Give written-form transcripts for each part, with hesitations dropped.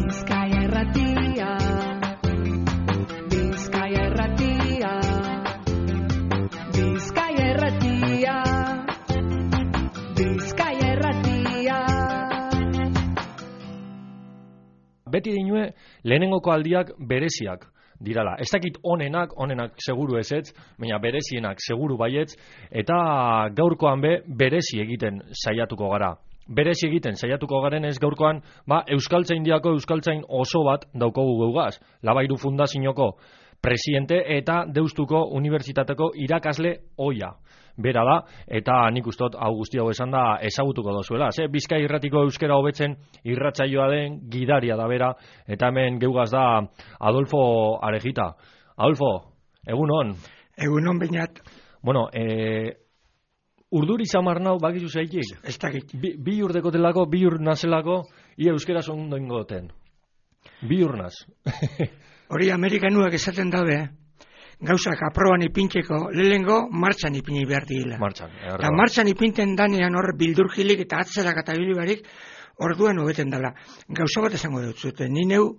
Bizkaia Irratia, Bizkaia Irratia, Bizkaia Irratia, Bizkaia Irratia. Beti dinue lehenengoko aldiak bereziak dirala. Ez dakit onenak seguru ezetz, baina berezienak seguru baietz, eta gaurkoan berezi egiten saiatuko gara. Berezi egiten saiatuko garen ez gaurkoan, Euskaltzaindiako euskaltzain oso bat daukogu geugaz. Labairu Fundazioko presidente eta Deustuko Unibertsitateko irakasle ohia. Bera da, eta nik ustot hau guzti hau esan da ezagutuko dozuela. Bizkai Irratiko euskera hobetzen irratsaioa den gidaria da bera, eta hemen geugaz da Adolfo Arejita. Adolfo, egunon. Egunon bainat. Bueno, urduri zamar nau bakizu zeitik? Ez dakit. Bi urdekotelako, bi ur nazelako, ia euskera zondo ingoten. Bi ur naz. Hori Amerikanuak esaten dabe, gauzak aproban ipintzeko, lehengo martxan ipini behar dira. Eta martxan ipinten danean hor bildurgilik eta atzerak eta bilibarik orduan hobeten dela. Gauza bat esango dut zuten. Ni neu,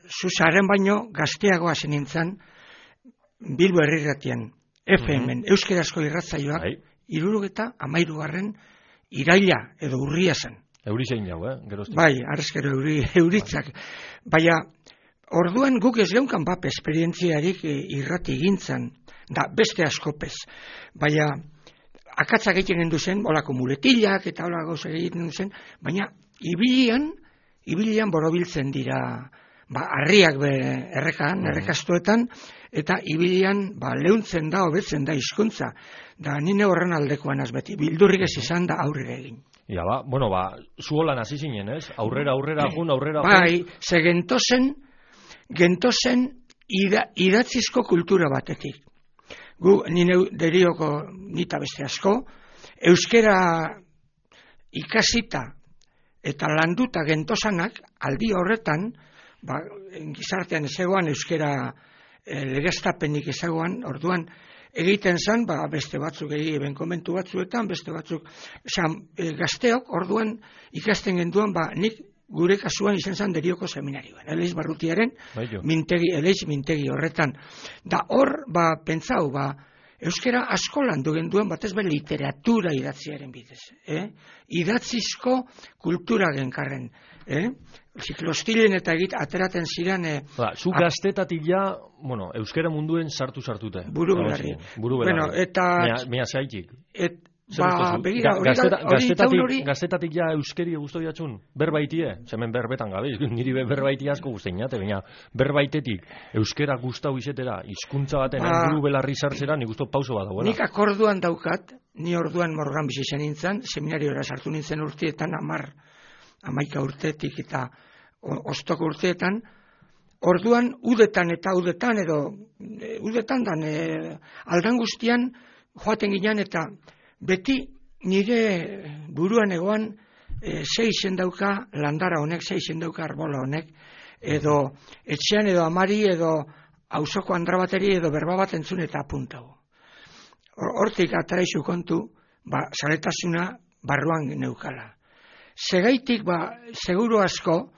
zuzaren baino gazteagoa zen nintzen Bilbo Herrirratian, FM-en, euskerazko irratzaioak, 73. iraila edo urria zen. Eurizein jau, geroztik. Bai, arrezkero euritzak. Baina, orduan guk ez geunkan esperientziarik irrati egintzen, da beste askopez. Baina, akatzak egiten gendu zen, olako muletillak eta olako gauzak egiten zen, baina, ibilian borobiltzen dira, harriak errekastuetan, eta ibilian leuntzen da, hobetzen da hizkuntza. Da nine horren aldekoan beti, bildurrik ez izan da aurrera egin. Ja, zu holan hasi zinen, ez? Aurrera jun. Bai, ze gentozen idatzizko kultura batetik. Gu, nine derioko nita beste asko, euskera ikasita eta landuta gentozanak, aldi horretan, gizartean ezegoan euskera legeztapenik ezagoan, orduan egiten zen, beste batzuk egiten komentu batzuetan, beste batzuk, gazteok orduan ikasten genduan, nik gure kasuan izan zen derioko seminarioan, Eleiz Barrutiaren Eleiz mintegi horretan. Da hor, pentsau, euskera asko landu genduan, batez literatura idatziaren bidez. Idatzizko kultura genkarren. Ziklostilen eta ateraten ziren... Zu gaztetatik ja, euskera munduen sartute. Buru belarri. Mea zaitik. Begira, hori gaztetatik ja euskeri guztu diatxun, berbaitie, zemen berbetan gabe, niri berbaitia asko guztein jate, baina berbaitetik euskera guztau izetera, hizkuntza baten buru belarri sartzera, nik guztu pauso bat dagoela. Nik akorduan daukat, ni orduan Morgan bizi zen nintzen, seminariora sartu nintzen urteetan, 11 urteetik eta ostoko urteetan, orduan udetan aldan guztian joaten ginen eta beti nire buruan egoan 6 izen dauka landara honek, 6 izen dauka arbola honek, edo etxean edo amari edo auzoko andra bateri edo berba bat entzun eta apuntago. Hortik ataraizu kontu, zaletasuna barruan neukala. Segaitik, seguru asko,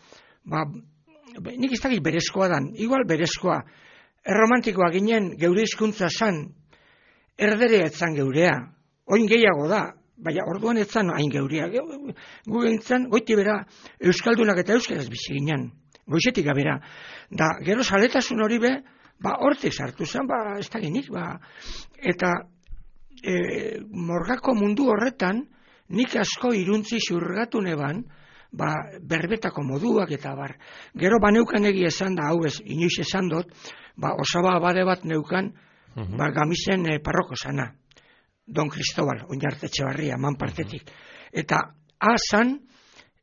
nik ez dakit berezkoa dan, igual berezkoa, erromantikoa ginen geure hizkuntza zan, erderea etzan geurea, oin gehiago da, baina orduan etzan hain geurea. Gu gintzen, goiti bera, euskaldunak eta euskaraz bizi ginen, goizetik abera. Da, gero zaletasun hori hortik sartu zen, ez dakinik, eta morgako mundu horretan, nik asko iruntzi xurgatu neban, berbetako moduak eta bar. Gero neukan egia esan da, hau ez, inoiz esan dut, osaba abade bat neukan, gamisen parroko sana. Don Cristobal, Oinarte Etxebarria, manpartetik. Eta zan,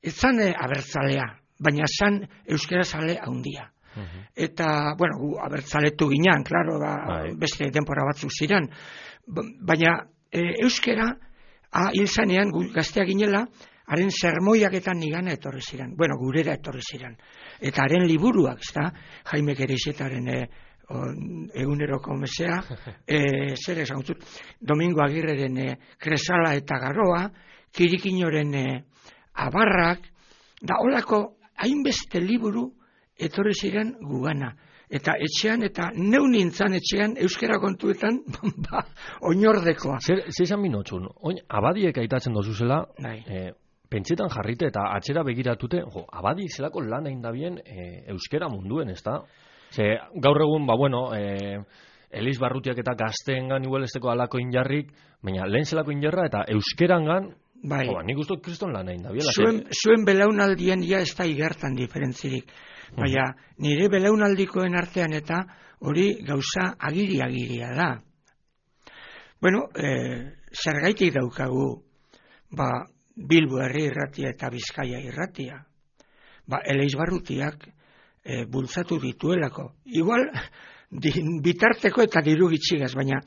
ez zan abertzalea, baina zan euskerazale haundia. Eta, gu abertzaletu ginean, klaro, beste denpora batzuk ziren. Baina euskera, hil zanean, gazteak ginela, haren sermoiaketan nigana etorri ziren. Gurera etorri ziren. Eta haren liburuak, Jaime Kerixetaren eguneroko mesea, zer esan zut, Domingo Agirreren Kresala eta Garoa, Kirikinoren Abarrak, da holako hainbeste liburu etorri ziren gugana. Eta etxean, eta neu nintzan etxean, euskera kontuetan, oinordekoa. Zer izan minotxun, oin, abadiek aitatzen dozuzela, pentsetan jarrite eta atxera begiratute, abadi zelako lan egin dabien euskera munduen, ez da? Gaur egun, Eliz Barrutiak eta gazteengan igual esteko alako injarrik, baina lehen zelako injarra eta euskerangan, nik uste kriston lan egin dabiela. Zuen belaunaldien ja ez da igertan diferentzirik. Baina nire belaunaldikoen artean eta hori gauza agiri-agiria da. Bueno, zergaitik daukagu Bilbo herri irratia eta Bizkaia irratia. Eliz Barrutiak bultzatu dituelako. Igual, bitarteko eta diru gitxigaz, baina,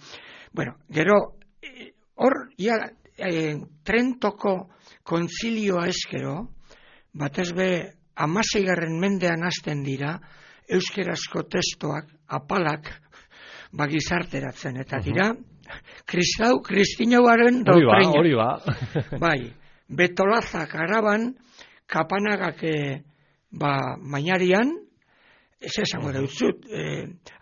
gero, hor, Trentoko kontzilioa eskero, batez be, 16. mendean hasten dira, euskerazko testoak, apalak, gizarteratzen, eta dira, kristinauaren doktrina. Hori ba. Bai, Betolazak araban, Kapanagak mainarian, ez esango dautzut,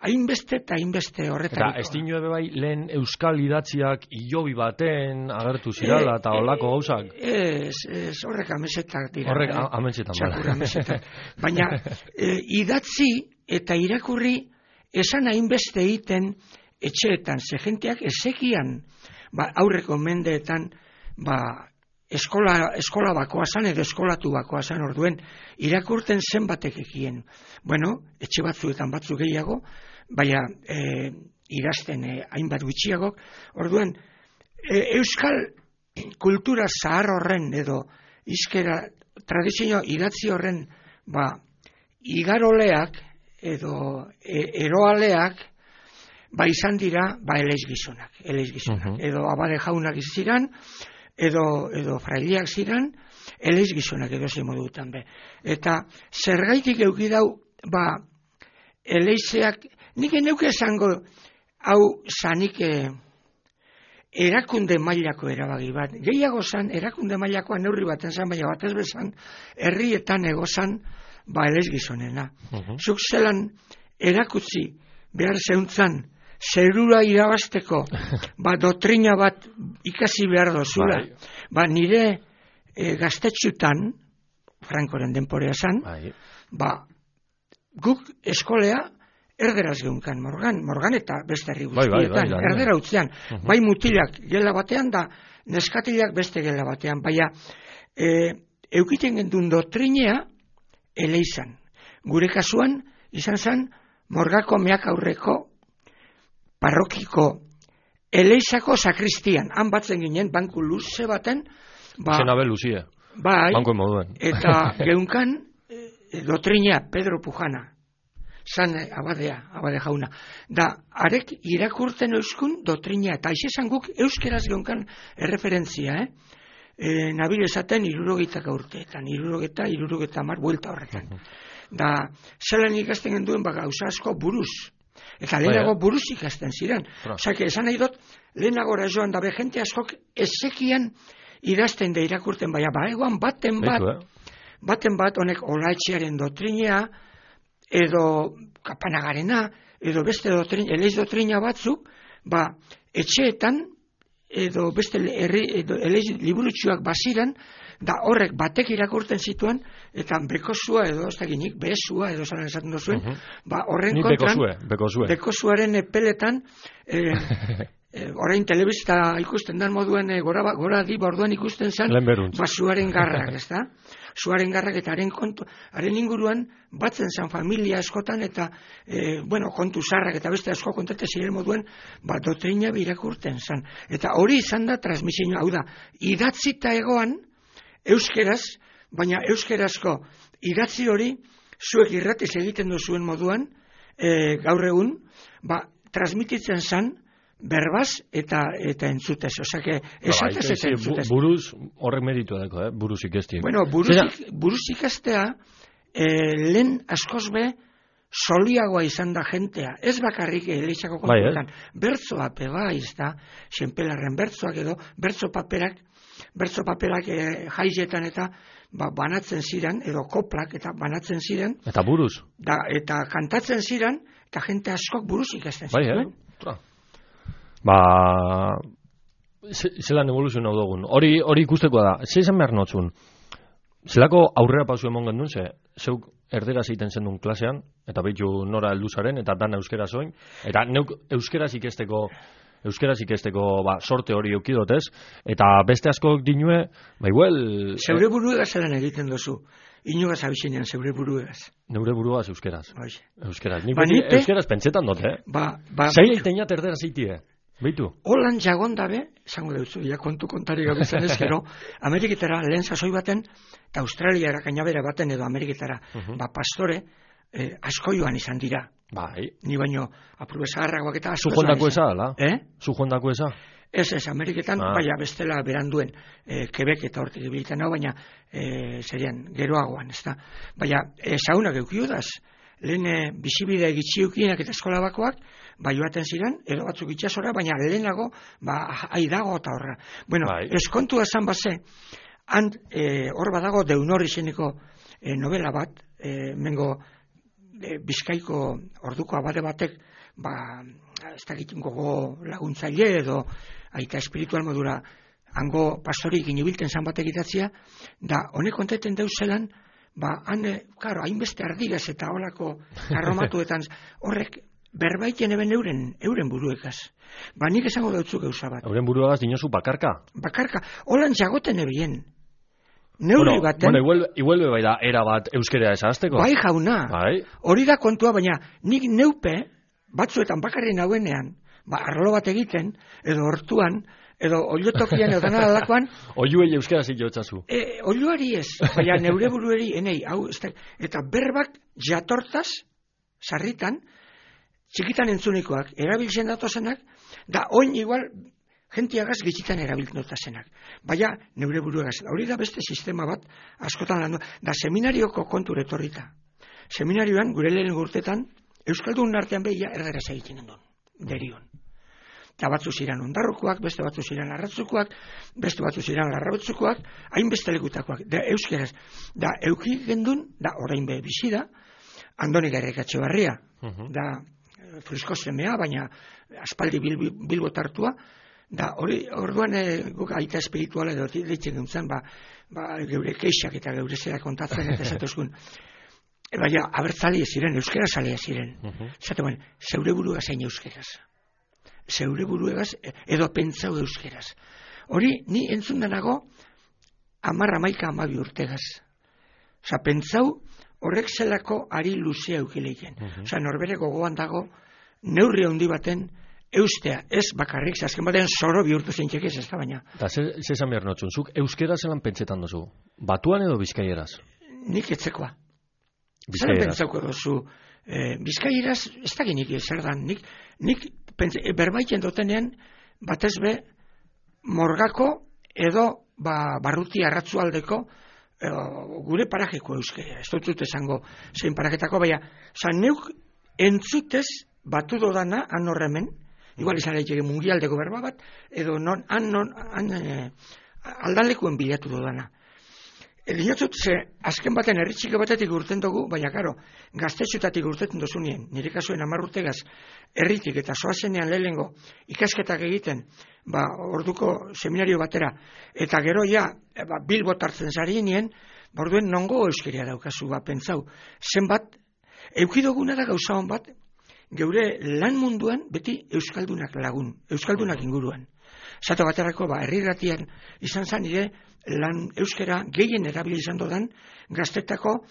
hainbeste eta hainbeste horretariko. Eta ez dino ebe bai lehen euskal idatziak ilobi baten agertu zirala eta olako gauzak? Ez, horrek amesetak dira. Horrek amesetan. Txakur amesetak. Baina idatzi eta irakurri esan hainbeste egiten etxeetan, ze jenteak ezekian aurreko mendeetan eskola bakoazan edo eskolatu bakoazan orduen irakurten zenbatek ekien. Etxe batzuetan batzu gehiago, baina idazten hainbat gutxiagok. Orduen, euskal kultura zahar horren edo izkera tradizio idatzi horren igaroleak edo eroaleak izan dira Eliz gizonak. Edo abade jaunak ziren, edo fraileak ziren, Eliz gizonak edo ze modutan be. Eta zergaitik eukidau, Elizeak, nik neuke esango, hau zanik erakunde mailako erabagi bat. Gehiago zan, erakunde mailakoa neurri baten zan, baina batez bezan, herrietan egozan, Eliz gizonena. Zuk zelan erakutzi behar zeuntzan, zerura irabazteko, doktrina bat ikasi behar dozula. Nire gaztetxutan, Frankoren denporea zan, guk eskolea erderaz geunkan Morgan eta beste herri guztietan, erdera utzean. Bai mutilak gela batean da, neskatilak beste gela batean. Baina, eukiten gendun doktrinea, Eleizan. Gure kasuan, izan zen, Morgako meak aurreko parrokiko Eleizako sakristian, han batzen ginen, banku luze baten, Zenabel luzie, banko moduen. Eta geunkan, doktrinea Pedro Pujana, zan abade jauna. Da, arek irakurten euskun doktrinea, eta aixesan guk euskeraz geunkan erreferentzia, nabil esaten 60 urteetan, 60 mar buelta horretan. Da, zelan ikasten genduen gauza asko buruz. Eta lehenago buruz ikasten ziren. Osake, esan nahi dut, lehenago joan dabe jente askok ezekian idazten da irakurten, baina egoan baten bat honek Olaetxearen doktrinea, edo Kapanagarena, edo beste Eliz doktrina batzuk, etxeetan, edo beste Eliz liburutxuak baziran, da horrek batek irakurten zituen, eta bekozua edo, ez dakinik, behezua edo zalan esaten duzuen, horren kontran, bekozuaren peletan, orain telebista ikusten dan moduen gora di borduan ikusten zen, zuaren garrak, ez da? Zuaren garrak eta haren inguruan batzen zen familia askotan eta kontu zarrak eta beste asko kontate ziren moduen doktrina irakurten zen. Eta hori izan da transmisioa, hau da, idatzita egoan euskeraz, baina euskerazko idatzi hori zuek irratiz egiten duzuen moduan gaur egun, transmititzen zen berbaz eta entzutez. Osake, esatez eta entzutez. Buruz horrek meritu edako, buruz ikestia. Buruz ikestea lehen askoz be soliagoa izan da jentea. Ez bakarrik Elizako kontuetan. Bertzoa pebaiz da, xenpelarren bertzoak edo, bertzo paperak jaietan eta banatzen ziren, edo koplak eta banatzen ziren, Eta buruz. eta kantatzen ziren, eta jente askok buruz ikasten Bai, zituen. Zelan evoluzionau dugun. Hori ikustekoa da. Ze izan behar notzun? Zelako aurrera pausu emon gendun, zeuk erderaz egiten zendun klasean, eta behitu nora heldu zaren, eta dan euskera zoin, eta neuk euskeraz ikesteko sorte hori eukidotez, eta beste askok dinue, igual... Zeure buruegaz zelan egiten duzu. Inugaz abizenean zeure buruegaz. Neure buruaz euskeraz. Euskeraz. Nik Nipe, euskeraz pentsetan dute, Zai eiteinat erderaz eitie, beitu? Holan jagon dabe, zango deutzu, kontu kontari gabizan ezkero, Ameriketara lehen sasoi baten, eta Australiara kainabera baten edo Ameriketara, pastore, asko joan izan dira. Bai. Ni baino, apurbe zaharragoak eta asko Zujondako eza, ala? Zujondako eza? Ez, Ameriketan, baina bestela beranduen, Quebec eta hortik ibiltan hau, baina serian, geroagoan, ez da. Baina, saunak eukiudaz, lehen bizibide gitxiukienak eta eskola bakoak, joaten ziren, edo batzuk itxasora, baina lehenago, aidago eta horra. Bueno, eskontua zan baze, hor badago Deunor izeneko novela bat, mengo Bizkaiko orduko abade batek, ez dakit gogo laguntzaile edo aita espiritual modura hango pastorik inibilten zan batek idatzia, da honek konteten deuzelan, hainbeste ardigaz eta holako karromatuetan horrek berbaiten eben euren buruekaz. Nik esango deutzu gauza bat. Euren buruegaz dinozu bakarka? Bakarka, holan jagoten ebien. Neurri baten... Igual bai da, era bat euskera esazteko? Bai jauna, hori da kontua, baina nik neupe, batzuetan bakarri nauenean, arlo bat egiten, edo hortuan, edo oliotokian edo dana dalakoan... Oiuei euskera zitotzazu. Oiuari ez, baina neure burueri, eta berbak jatortaz, sarritan, txikitan entzunikoak, erabiltzen datozenak, da oin igual... Gentiagaz gitzitan erabiltzen dutazenak. Baina, neure buruegaz. Hori da beste sistema bat, askotan landu. Da seminarioko kontu retorrita. Seminarioan, gure lehen urtetan, Euskaldun artean behia erderaz egiten gendun. Derion. Eta batzu ziren ondarrukoak, beste batzu ziren arratzukoak, beste batzu ziren larrabetzukoak, hainbeste lekutakoak. Da euskeraz. Da euki gendun, da orain be bizi da, Andoni Garrikatxe Barria. Da frisko semea, baina aspaldi bilbotartua, da, orduan guk aita espirituala edo ditzen guntzen, geure keixak eta geure zera kontatzen eta esatuzkun. Baina, abertzale ziren, euskera zalea ziren. Zaten, zeure buruegaz hain euskeraz. Zeure buruegaz, edo pentsau euskeraz. Hori, ni entzun denago, 10-11 urtegaz. Osa, pentsau, horrek zelako ari luzea eukileiken. Osa, norbere gogoan dago, neurri handi baten, eustea, ez bakarrik, azken batean zoro bihurtu zeintxek ez da baina. Eta zezan behar notzun, zuk euskera zelan pentsetan duzu? Batuan edo bizkaieraz? Nik etzekoa. Zelan pentsauko duzu? Bizkaieraz, ez da genik zer dan, nik berbaiten dutenean, batez be, morgako edo barruti arratzualdeko gure parajeko euskera. Ez dut esango zein paraketako, baina, neuk entzutez batu dodana, han horremen, igual izan daiteke mundialdeko berba bat, edo aldanlekuen bilatu dudana. Diotzut, azken baten herritxike batetik urten dugu, baina karo, gaztetxutatik urtetzen duzunien, nire kasuen 10 urtegaz herritik eta soazenean lehengo ikasketak egiten, orduko seminario batera, eta gero ja, Bilbot hartzen zarinien, orduen nongo euskeria daukazu, pentsau, zenbat, eukidoguna da gauza hon bat, geure lan munduan beti euskaldunak lagun, euskaldunak inguruan. Zato baterako, herriratian izan zan nire lan euskera gehien erabili izan dodan gaztetako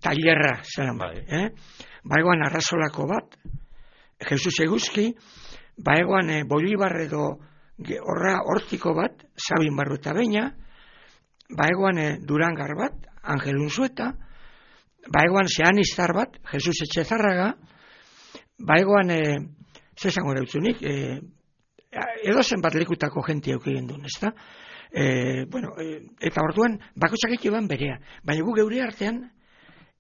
tailerra zelan bat. Baegoan Arrasolako bat, Jesus Eguzki, baegoan Bolibar edo hortiko bat, Sabin Barru eta Beina, baegoan Durangar bat, Angel Unzueta, baegoan Zeanistar bat, Jesus Etxezarraga, baegoan, zezango dautzunik, edozen bat lekutako jentia eukien duen, ez da? Eta orduan, bakotxak ekiban berea. Baina gu geure artean,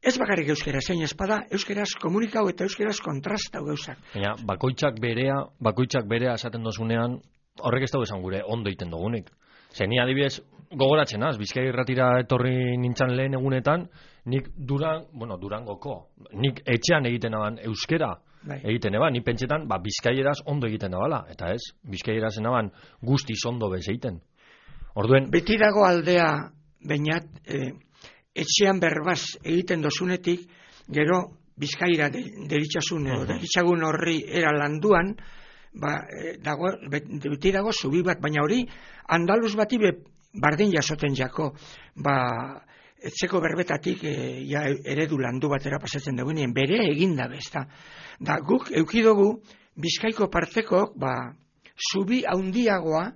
ez bakarrik euskera, zein espada, euskeraz komunikau eta euskeraz kontrastau gauzak. Baina, bakoitzak berea esaten dozunean, horrek ez dago esan gure ondo iten dugunik. Zeni adibidez, gogoratzen az, Bizkai Irratira etorri nintzan lehen egunetan, nik Durangoko, nik etxean egiten aban euskera egiten eban, nik pentsetan, Bizkaieraz ondo egiten abala, eta ez, Bizkaieraz enaban guztiz ondo bez egiten. Orduen... Beti dago aldea, bainat, etxean berbaz egiten dozunetik, gero Bizkaira deritxasun, deritxagun horri era landuan, beti dago zubi bat, baina hori andaluz bati bardin jasoten jako, etxeko berbetatik eredu landu batera pasatzen dugunean, bere eginda bezta. Da guk eukidogu Bizkaiko parteko zubi haundiagoa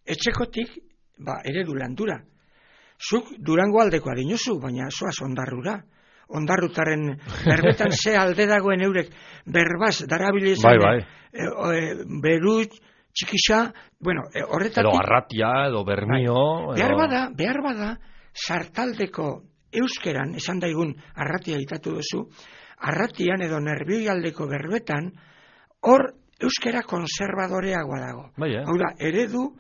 etxekotik eredu landura. Zuk Durango aldekoa dinozu, baina zoaz Ondarrura. Ondarrutaren berbetan ze alde dagoen eurek berbaz darabilezan berut, txikisa, horretatik... Edo Arratia, edo Bermio... Behar bada, sartaldeko euskeran, esan daigun Arratia itatu duzu, Arratian edo Nerbioi aldeko berbetan, hor euskera konservadoreagoa dago. Hau da, eredu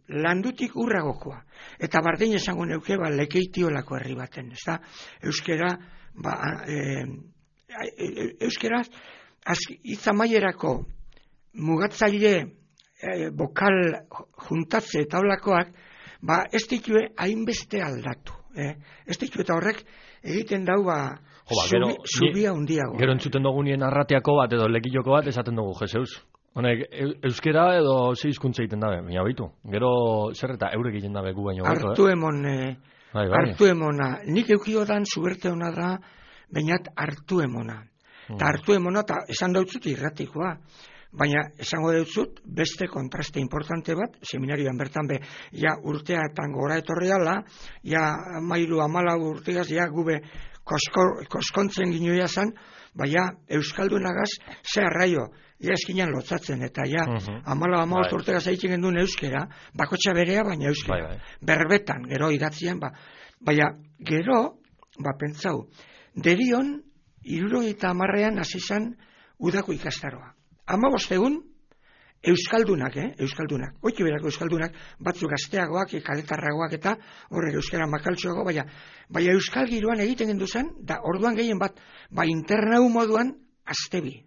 landutik urragokoa. Eta bardin esango neuke lekeitiolako herri baten, ez da? Euskera, euskera, itzamaierako mugatzaile bokal juntatze eta holakoak, ez ditue hainbeste aldatu. Ez ditue eta horrek egiten dau zubia hundiago. Gero entzuten dugunien Arratiako bat edo Lekilloko bat esaten dugu, Jeseus. Honek, euskera edo ze hizkuntza egiten dabe, baina baitu. Gero zer eta eurek egiten dabe gu baino. Hartu emona. Nik eukio dan zuberte hona da, bainat hartu emona. Eta hartu emona, eta esan dautzut irratikoa. Baina esango dautzut beste kontraste importante bat, seminarioan bertan urteatan gora etorriala, mairu 14 urteaz, gube koskontzen ginoia zan, baina euskaldunagaz ze arraio, eskinan lotzatzen, eta 14 urtegaz egiten genduen euskera, bakotxa berea, baina euskera. Berbetan, gero idatzian, baina gero, pentsau, derion, 70ean hasi zan udako ikastaroa. 15 egun, euskaldunak, oitu berako euskaldunak, batzuk gazteagoak, kaletarragoak eta horrek euskara makaltxoago, baina euskal giroan egiten gendu zen, da orduan gehien bat, internau moduan, Astebi,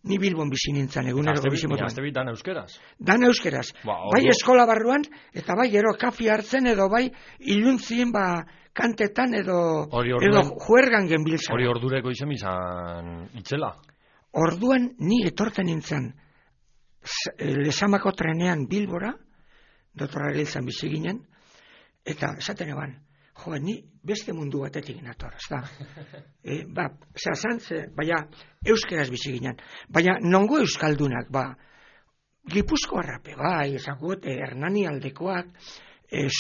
ni Bilbon bizi nintzen egunero bizi moduan. Astebi dan euskeraz? Dan euskeraz. Bai eskola barruan, eta bai ero kafi hartzen, edo bai iluntzien kantetan, edo juergan genbiltzan. Hori ordureko izan izan itzela? Orduan ni etorten nintzen Lezamako trenean Bilbora, Dr. Ariltzan bizi ginen, eta esaten eban, ni beste mundu batetik nator, ez da. Baina euskeraz bizi ginen. Baina nongo euskaldunak, Gipuzkoarrape, ezagut, Hernani aldekoak,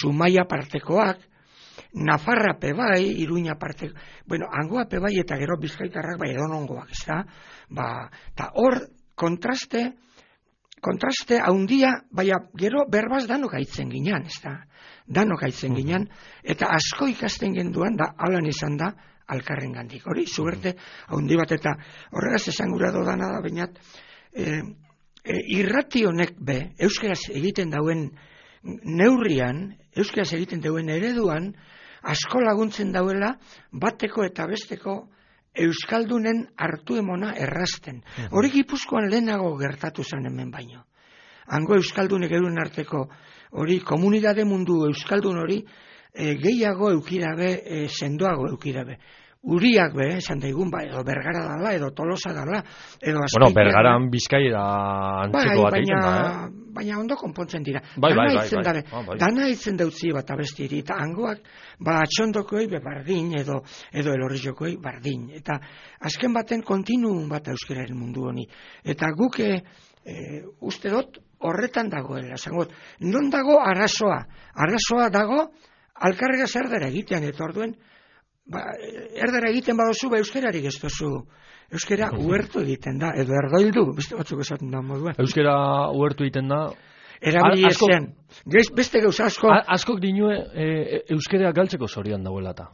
Zumaia partekoak, Nafarrape Iruña partekoak, hangoape eta gero bizkaitarrak edonongoak, ez da. Eta hor kontraste haundia, baina gero berbaz danok aitzen ginen, ez da. Danok aitzen ginen, eta asko ikasten genduan, alan izan da, alkarren gandik. Hori, zuberte, haundi bat, eta horregaz esangura dodana da, bainat, irrati honek euskeraz egiten dauen neurrian, euskeraz egiten dauen ereduan, asko laguntzen dauela, bateko eta besteko euskaldunen hartu emona errazten. Hori Gipuzkoan lehenago gertatu zen hemen baino. Hango euskaldunek euren arteko, hori komunidade mundu euskaldun hori, gehiago eukidabe, sendoago eukidabe. Uriak esan daigun, edo Bergara dala, edo Tolosa dala, edo Azpeitia. Bergaran Bizkaira antzeko bat egiten da, baina ondo konpontzen dira. Dana itzen dautzi bat abestiri, eta hangoak, atxondokoi bardin, edo elorrizokoi bardin. Eta azken baten kontinuum bat euskeraren mundu honi. Eta guk, uste dut, horretan dagoela. Non dago arazoa? Arazoa dago, alkarrega zerdera egitean, eta orduen, erdera egiten badozu, euskerarik ez dozu. Euskera uhertu egiten da, edo erdoildu, beste batzuk esaten da moduan. Euskera uhertu egiten da? Erabili ezean. Beste gauza asko... Askok dinue euskera galtzeko zorian dauela eta?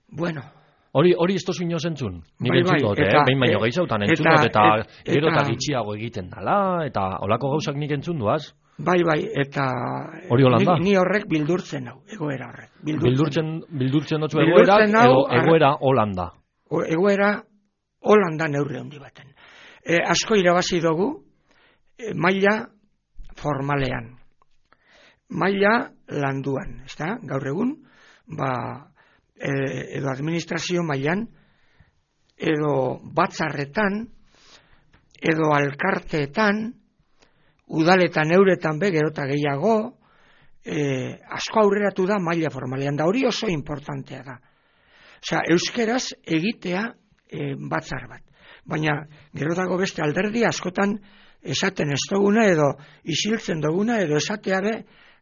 Bueno... Hori ez tozu inoz entzun? Nik entzun dut, behin baino gehiagotan entzun dut, eta gero eta gitxiago egiten dala, eta holako gauzak nik entzun duaz? Bai, eta Hori Holanda? Ni horrek bildurtzen hau, egoera horrek. Bildurtzen dutzu egoera, edo egoera Holanda. Egoera Holanda neurri handi baten. Asko irabazi dugu, maila formalean. Maila landuan, ezta? Gaur egun, edo administrazio mailan, edo batzarretan, edo alkarteetan, udaletan euretan gerota gehiago, asko aurreratu da maila formalean, da hori oso importantea da. Osea, euskeraz egitea batzar bat. Baina, gero dago beste alderdi askotan esaten ez duguna, edo isiltzen duguna, edo esatea be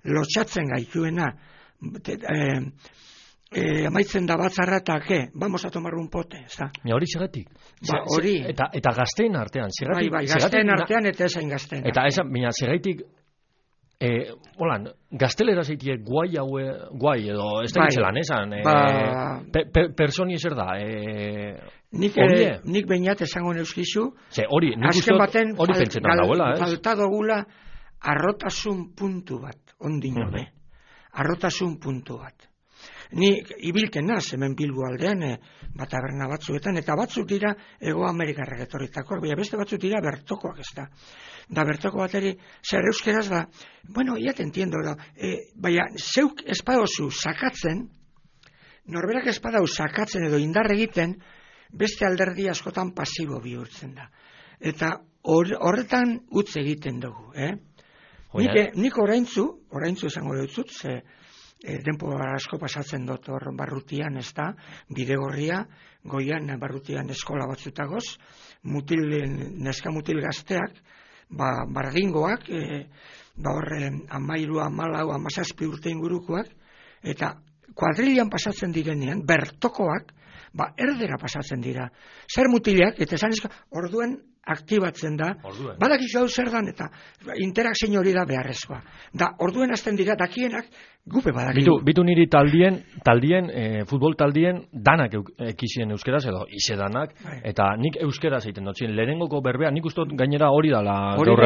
lotxatzen gaituena. Amaitzen da batzarra eta vamos a tomar un pote, ez da? Hori segatik. Hori. Eta gazteen artean. Bai, gazteen artean eta esain gazteen. Eta esan, baina segaitik, holan, gaztelera zeitie guai edo ez da gitzelan, esan? Personi ezer da? Nik behinat esango neuskizu, hori pentsetan dauela, ez? Falta dugula arrotasun puntu bat, ondino be. Arrotasun puntu bat. Ni ibilten naz, hemen Bilbo aldean, taberna batzuetan, eta batzuk dira Ego Amerikarrak etorritakoak, baina beste batzuk dira bertokoak, ez da. Da bertoko bateri, zer euskeraz da, bueno, ya te entiendo, baina zeuk espadozu sakatzen, norberak espadau sakatzen edo indar egiten, beste alderdi askotan pasibo bihurtzen da. Eta horretan utz egiten dugu, Nik oraintzu esango dutzut, ze denpo asko pasatzen dut hor barrutian, ez da, Bidegorria, goian barrutian eskola batzutagoz, neska mutil gazteak, bardingoak, horre 13, 14, 17 urte ingurukoak, eta kuadrilian pasatzen direnean, bertokoak, erdera pasatzen dira. Zer mutilak, eta esan orduen aktibatzen da, badakizu hau zer dan, eta interakzio hori da beharrezkoa. Da, orduen hasten dira, dakienak, gupe badakizu. Bitu niri taldien, futbol taldien, danak ekizien euskeraz, edo izedanak, eta nik euskeraz egiten dut, lehenengoko berbea, nik uste gainera hori dala gaur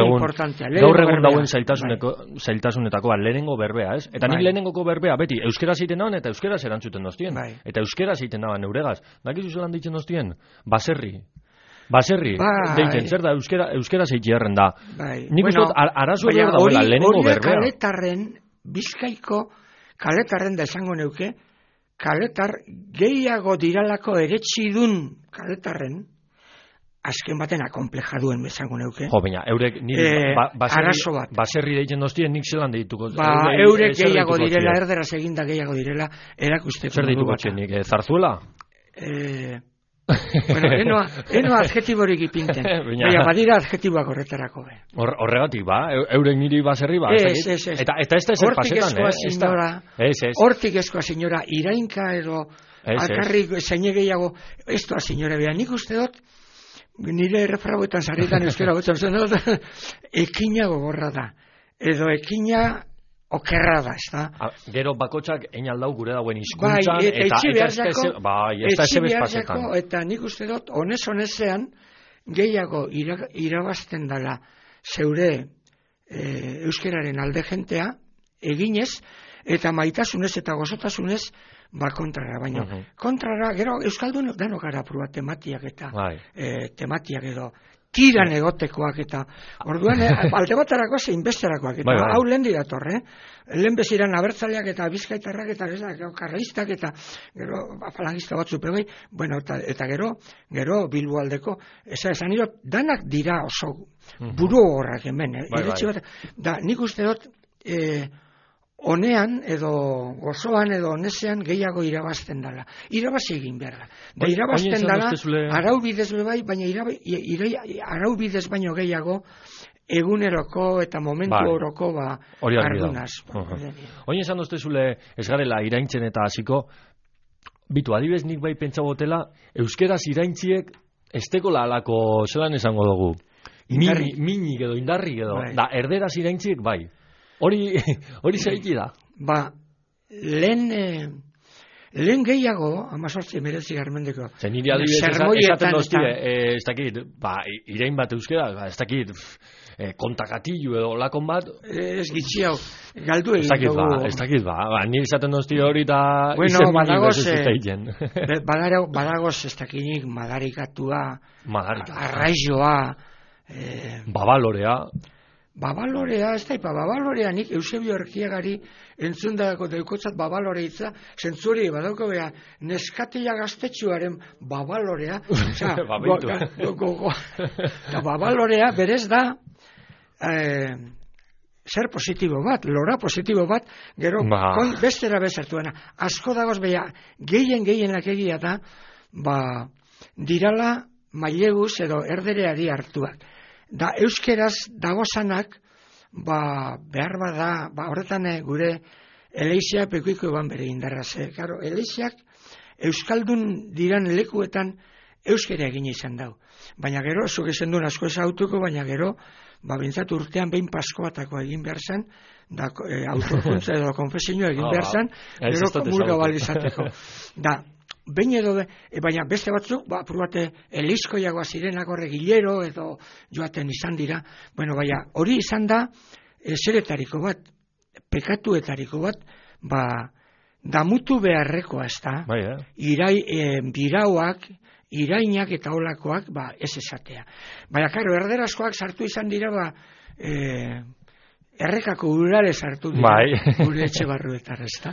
egun dauen zailtasunetako, lehenengo berbea, ez? Eta nik lehenengoko berbea, beti, euskeraz egiten dauen, eta euskeraz erantzuten doztien. Eta euskeraz egiten dauen euregaz. Dakizu zelan ditzen doztien? Baserri, deitzen, zer da, euskera zeitierren da. Nik uste dut, arazo hori dauela, lehenengo berbea. Kaletarren, Bizkaiko kaletarren da esango neuke, kaletar gehiago diralako eretxidun kaletarren, azken baten akomplejaduen esango neuke. Jo, baina, eurek niri baserri deitzen doztien, nik zelan deituko. Eurek gehiago direla, erderaz eginda gehiago direla, erakusteko. Zer deituko txenik, Zarzuela? Bueno, eno adjetiborik ipinten. Baina, badira adjetiboak horretarako. Horregatik, eurek niri baserri, Ez. Eta ez da ezer pasetan, Hortik eskoa, senyora, irainka edo alkarrik zeine gehiago, ez doa, senyora, beha, nik uste dut, nire refrauetan sarritan euskera gotzen dut, ekina gogorra da. Edo ekina okerra da, ez da? Gero bakotxak einaldau gure dauen hizkuntzan eta ez da ezebez pasetan. Eta nik uste dut, honezean, gehiago irabazten dela zeure euskeraren alde jentea, eginez, eta maitasunez eta gozotasunez, kontrara, baina kontrara, gero euskaldun dano gara prua tematiak eta tematiak edo tiran egotekoak eta orduan alde baterako zein besterakoak eta hau lehen dirator, lehen beziran abertzaleak eta bizkaitarrak eta karraistak eta gero falangista batzu pegai, bueno, eta gero Bilbo aldeko, esan iro, danak dira oso buru horrak hemen, da nik uste dut honean edo gozoan edo honezean gehiago irabazten dela. Irabazi egin behar da. Da irabazten dela araubidez bai, baina araubidez baino gehiago eguneroko eta momentu oroko ardunaz. Oin esan doztezule ez garela iraintzen eta hasiko, bitu, adibez nik bai pentsa botela, euskeraz iraintziek ez tekola alako zelan esango dugu. Minik edo indarrik edo. Da, erderaz iraintziek bai. Hori zaiki da? Lehen gehiago, 18-19 Zer nire adibidez esaten doztie, ez dakit, irain bat euskera, ez dakit, kontakatillu edo lakon bat. Ez gitxi hau, galdu egin dugu. Ez dakit, nire esaten doztie hori eta bueno, badagoz ez dakinik madarikatua, arraizoa, babalorea, ez da, babalorea nik Eusebio Erkiagari entzundako deukotzat babalore hitza, zentzuri badauko beha, neskatia gaztetxuaren babalorea, babalorea berez da, zer positibo bat, lora positibo bat, gero bestera bezartuena. Asko dagoz beha, gehienak egia da, dirala maileguz edo erdereari hartuak. Da euskeraz dagozanak, behar bada, horretan gure Eleixia pekuiko eban bere indarraz. Claro, Elexiak euskaldun diran lekuetan euskera egin izan dau. Baina gero, zuk esan duen asko ezautuko, baina gero, bintzat urtean behin pasko batako egin behar zen, da autokuntza edo konfesioa egin behar zen, gero komulga balizateko. Da, behin edo, baina beste batzuk, apurubate elizkoiagoa zirenak horre gilero edo joaten izan dira, bueno, baina hori izan da, zeretariko bat, pekatuetariko bat, damutu beharrekoa ez da, birauak, irainak eta olakoak, ez esatea. Baina, karo, erderazkoak sartu izan dira, errekako urare sartu dira, gure etxe barruetar ez da.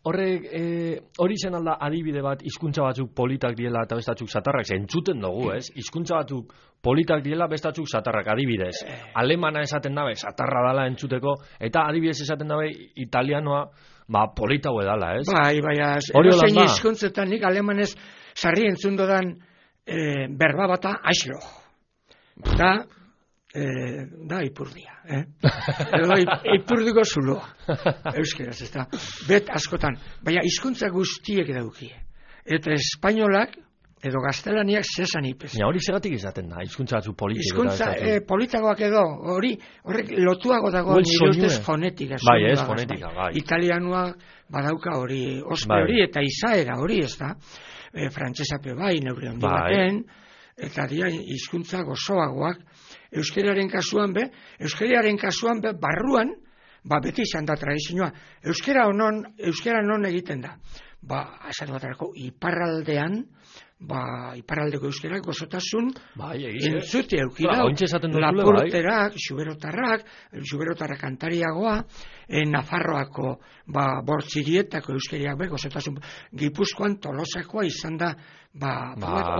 Hori zen alda adibide bat, hizkuntza batzuk politak diela eta bestatzuk satarrak, entzuten dugu, ez? Hizkuntza batzuk politak diela bestatzuk satarrak, adibidez. Alemana esaten dabe, satarra dala entzuteko, eta adibidez esaten dabe, italianoa, polita hue dala, ez? Erozein hizkuntzetan nik alemanez sarri entzundodan berba bata, aixlo. Da ipurdia, edo ipurdiko zuloa, euskeraz, ez da, bet askotan, baina hizkuntza guztiek daukie, eta espainolak, edo gaztelaniak zesan ipez. Hori segatik izaten da, hizkuntza batzu politik. Hizkuntza politagoak edo, horrek lotuago dago nire ustez fonetika. Fonetika. Italianoa badauka hori, ospe hori, eta izaera hori, ez da, frantsesape neure handi baten, eta dira hizkuntza gozoagoak, euskeraren kasuan barruan, beti izan da tradizioa. Euskera non egiten da. Esatu batarako, iparraldean, iparraldeko euskerak gozotasun entzuti eukidau. Lapurterak, xuberotarrak kantariagoa, Nafarroako bortzirietako euskeriak gozotasun, Gipuzkoan Tolosakoa izan da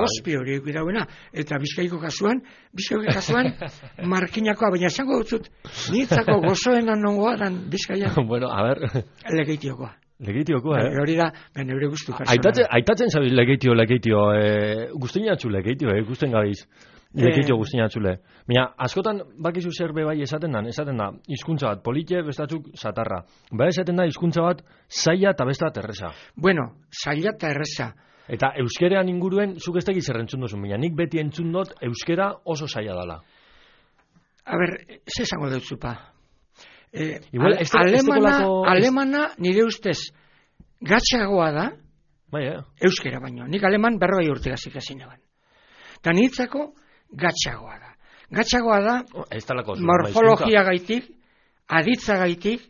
ospi hori eukidauena, eta Bizkaiko kasuan Markinakoa, baina esango dutzut, niretzako gozoenan nongoa dan Bizkaian. Bueno, a ver. Legeitiokoa. Legeitiokoa, hori da, neure guztu personala. Aitatzen zabiz legeitio, guztinatzu legeitio, gusten gabiz. Legeitio guztinatzule. Baina, askotan bakizu zer bebai esaten da, hizkuntza bat polite, bestatzuk satarra. Esaten da, hizkuntza bat zaila eta besta erresa. Bueno, zaila eta erresa. Eta euskerean inguruen, zuk ez dakiz errentzun duzun, baina nik beti entzun dut euskera oso zaila dala. A ber, ze esango dutzupa? Alemana nire ustez gatxagoa da, euskera baino. Nik aleman 40 urte gazik hasi neban. Eta niretzako gatxagoa da. Gatxagoa da, morfologia gaitik, aditza gaitik,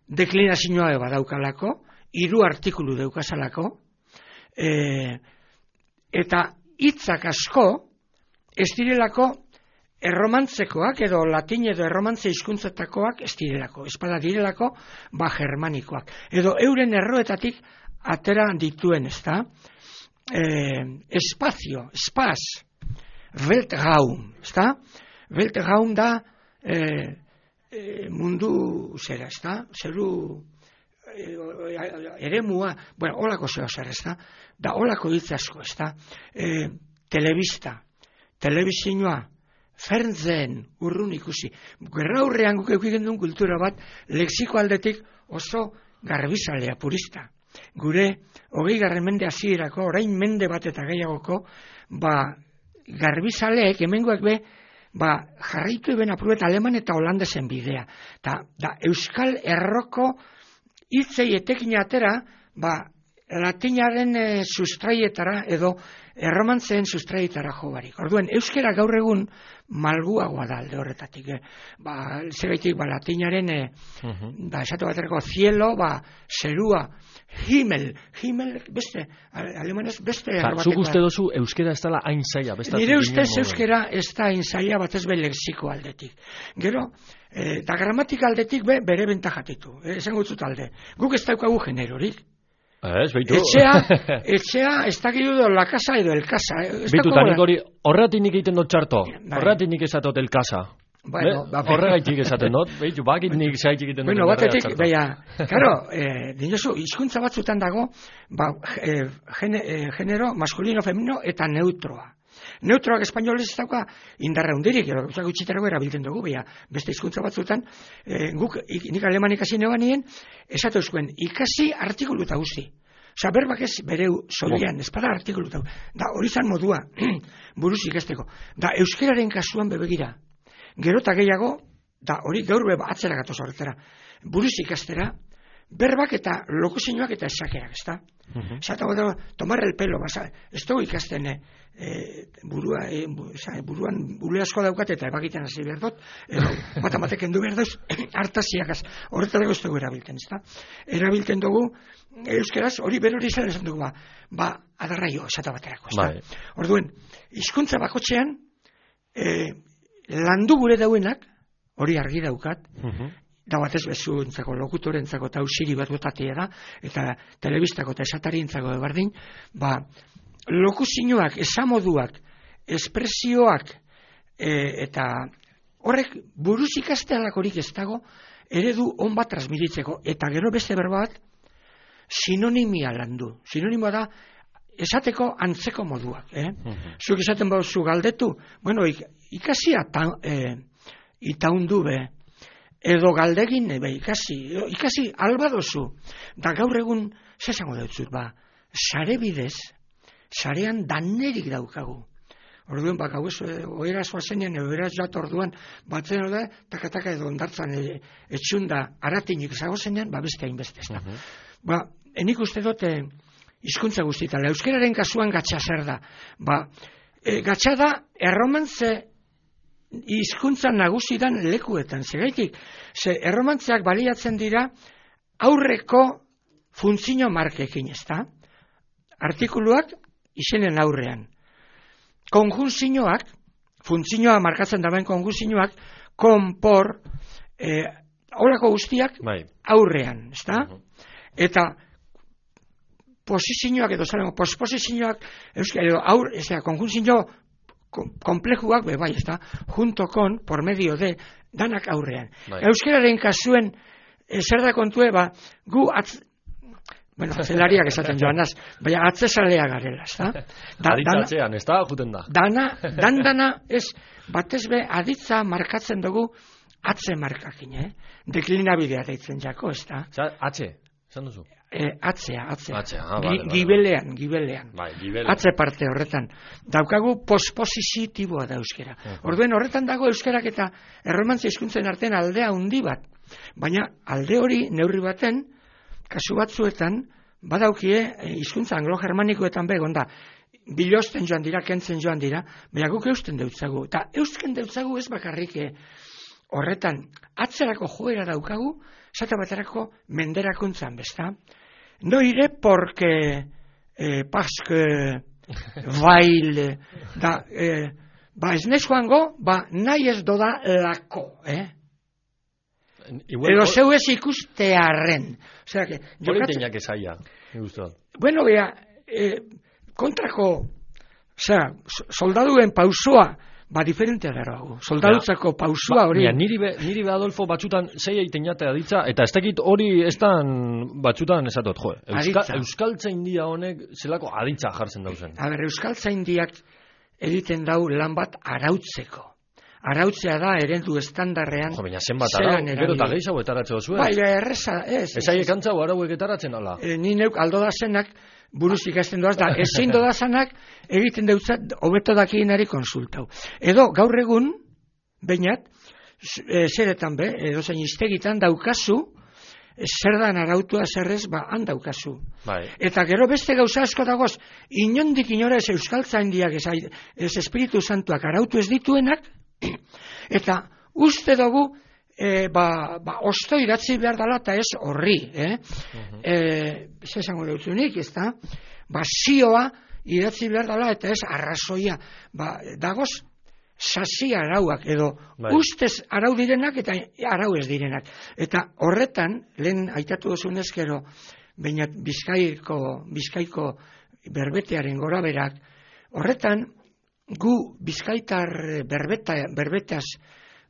deklinazioa badaukalako, 3 artikulu daukazalako, eta hitzak asko ez direlako erromantzekoak edo latin edo erromantze hizkuntzetakoak ez direlako, espada direlako germanikoak. Edo euren erroetatik atera dituen, ez da? Espazio, espaz, Weltraum, ez da? Weltraum da mundu zera, ez da? Zeru eremua, bueno, holako zeo zer, ez da? Da holako hitz asko, ez da? Telebizioa, Fernsehen, urrun ikusi. Gerra hurrean guk eukigen duen kultura bat, lexiko aldetik oso garbizalea, purista. Gure, 20. mende hasierako, orain mende bat eta gehiagoko, garbizaleek, hemengoak jarraitu eben apurbet aleman eta holandesen bidea. Da Euskal Erroko hitzei etekin atera, latinaren sustraietara edo erromantzeen sustraietara jo barik. Orduan, euskera gaur egun malguagoa da alde horretatik. Zegaitik, latinaren, esatu baterako cielo, zerua, himmel, beste, alemanez, beste errobatekoa. Zuk uste dozu euskera ez dela hain zaila? Nire ustez euskera ez da hain zaila batez be lexiko aldetik. Gero, da gramatika aldetik bere bentajatitu. Esan gutzut alde. Guk ez daukagu generorik. Etxea, ez dakidu la casa edo el casa. Bitu, tanik hori, horretik nik egiten dut txarto. Horretik nik esatot el casa. Horregaitik esaten dut. Bitu, bakit nik zaitik egiten dut. Bueno, batetik, karo, dinosu, hizkuntza batzutan dago, genero, maskulino, femenino, eta neutroa. Neutroak espainolez ez dauka indarra hundirik, gutxiterako erabiltzen dugu, beste hizkuntza batzutan, nik aleman ikasi nebanien, esatu zuen, ikasi artikuluta guzti. Osa, berbak ez bere solian, ez bada artikuluta. Da, hori zan modua, buruz ikasteko. Da, euskeraren kasuan bebegira. Gero eta gehiago, da, hori gaur atzera gatoz horretara. Buruz ikastera, berbak eta lokuzioak eta esakerak, ez da? Zata, tomar el pelo, ez dugu ikasten, buruan bule asko daukat eta ebagiten hasi behar dut, matematek endu behar dauz, hartaziakaz, horretarako ez dugu erabilten, ez da? Erabilten dugu, euskeraz, hori berori esan dugu, adarraio, esata baterako, ez da? Orduen, hizkuntza bakotxean, landu gure dauenak, hori argi daukat, da batez bezuentzako, lokutorentzako eta usiri bat botatea da, eta telebistako eta esatarientzako berdin, lokuzioak, esamoduak, espresioak, eta horrek buruz ikastealakorik ez dago, eredu on bat transmititzeko, eta gero beste berba bat, sinonimia landu. Sinonimoa da, esateko antzeko moduak. Zuk esaten bauzu galdetu, bueno, ikasia itaundu be, edo galdegin, ikasi alba dozu, da gaur egun, zesango dautzut, sare bidez, sarean danerik daukagu. Orduan, gau ez, oera zoazenean, oera jat orduan, batzen da, takataka edo ondartzan etxunda aratinik zagozenean, beste hainbeste ez da. Enik uste dut, hizkuntza guztitala, euskeraren kasuan gatsa zer da. Gatsa da, erromantze hizkuntza nagusidan lekuetan, zegaitik, erromantzeak baliatzen dira aurreko funtzio markekin, ez da? Artikuluak izenen aurrean. Konjunzioak, funtzioa markatzen daben konjunzioak, konpor, horako guztiak aurrean, ez da? Eta posizioak edo zaren, posposizioak, konjunzio komplejuak, ez da, junto con, por medio de, danak aurrean. Euskeraren kasuen, zer da kontue, gu zelariak esaten joanaz, baina atzezalea garela, ez da? Aditzatzean, ez da, juten da. Dana, ez, batez be, aditza markatzen dugu atze markakin, deklinabidea deitzen jako, ez da? Atze, esan duzu? Atzea. Gibelean. Atze parte horretan. Daukagu posposizitiboa da euskera. Orduen horretan dago euskarak eta erromantzia hizkuntzen artean aldea handi bat. Baina alde hori neurri baten, kasu batzuetan, badaukie hizkuntza anglo-germanikoetan begon da. Bilosten joan dira, kentzen joan dira, baina guk eusten deutzagu. Eta eusten deutzagu ez bakarrik horretan atzerako joera daukagu, zata baterako menderakuntzan, besta? No iré porque baile ez nez joango, nahi ez doda lako, edo zeu ez ikustearen. Hori teinak esaia, bueno, kontrako, soldaduen pausua, diferentea dara hau. Soldadutzako pausua hori. Niri be Adolfo batzutan zei egiten jatea ditza, eta ez dakit hori estan batzutan esatot, Euskaltzaindia honek zelako aditza jartzen dauzen. Euskaltzaindiak egiten dau lan bat arautzeko. Arautzea da eredu estandarrean. Baina zenbat arau, gero eta gehiago etaratzeo zuen. Erreza, ez. Ez aiek antzau arauek etaratzen ala. Ni neuk aldo da zenak, buruz ikasten doaz da, ezin dodazanak egiten deutzat hobeto dakienari konsultau. Edo gaur egun, bainat, zeretan be, edo zein iztegitan daukazu, zer dan arautua zerrez, handaukazu. Bai. Eta gero beste gauza asko dagoz, inondik inora ez euskaltzaindiak, ez Espiritu Santuak arautu ez dituenak, eta uste dugu, osto idatzi behar dela eta ez horri, esango dutzunik, ez da? Zioa idatzi behar dela eta ez arrazoia. Dagoz, sasi arauak edo ustez arau direnak eta arau ez direnak. Eta horretan, lehen aitatu duzunez gero, baina Bizkaiko berbetearen goraberak, horretan gu bizkaitar berbetaz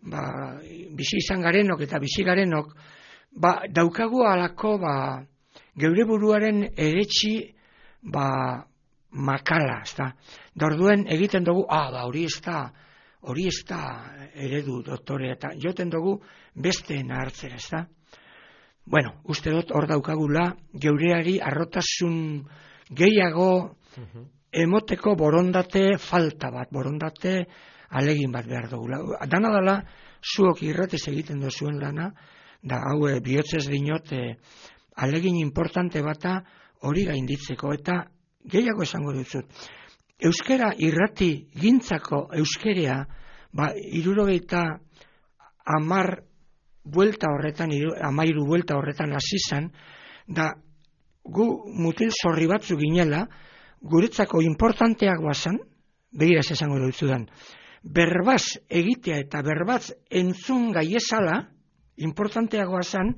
bizi izan garenok eta bizi garenok, daukagu alako geure buruaren eretxi makala, ezta. Da orduen egiten dugu, hori ez da eredu doktore, eta joten dugu besteen hartzera, ezta. Bueno, uste dut hor daukagula geureari arrotasun gehiago emoteko borondate falta bat, borondate alegin bat behar dugula. Dana dela, zuok irratez egiten duzuen lana, da hau bihotzez dinot alegin importante bata hori gainditzeko, eta gehiago esango duzut. Euskara irrati gintzako euskerea, 70 buelta horretan, 13 buelta horretan hasi zen, da gu mutil zorri batzu ginela, guretzako importanteak guazan, begiraz esango dutzudan, berbaz egitea eta berbaz entzun gaiezala, importanteagoa zen,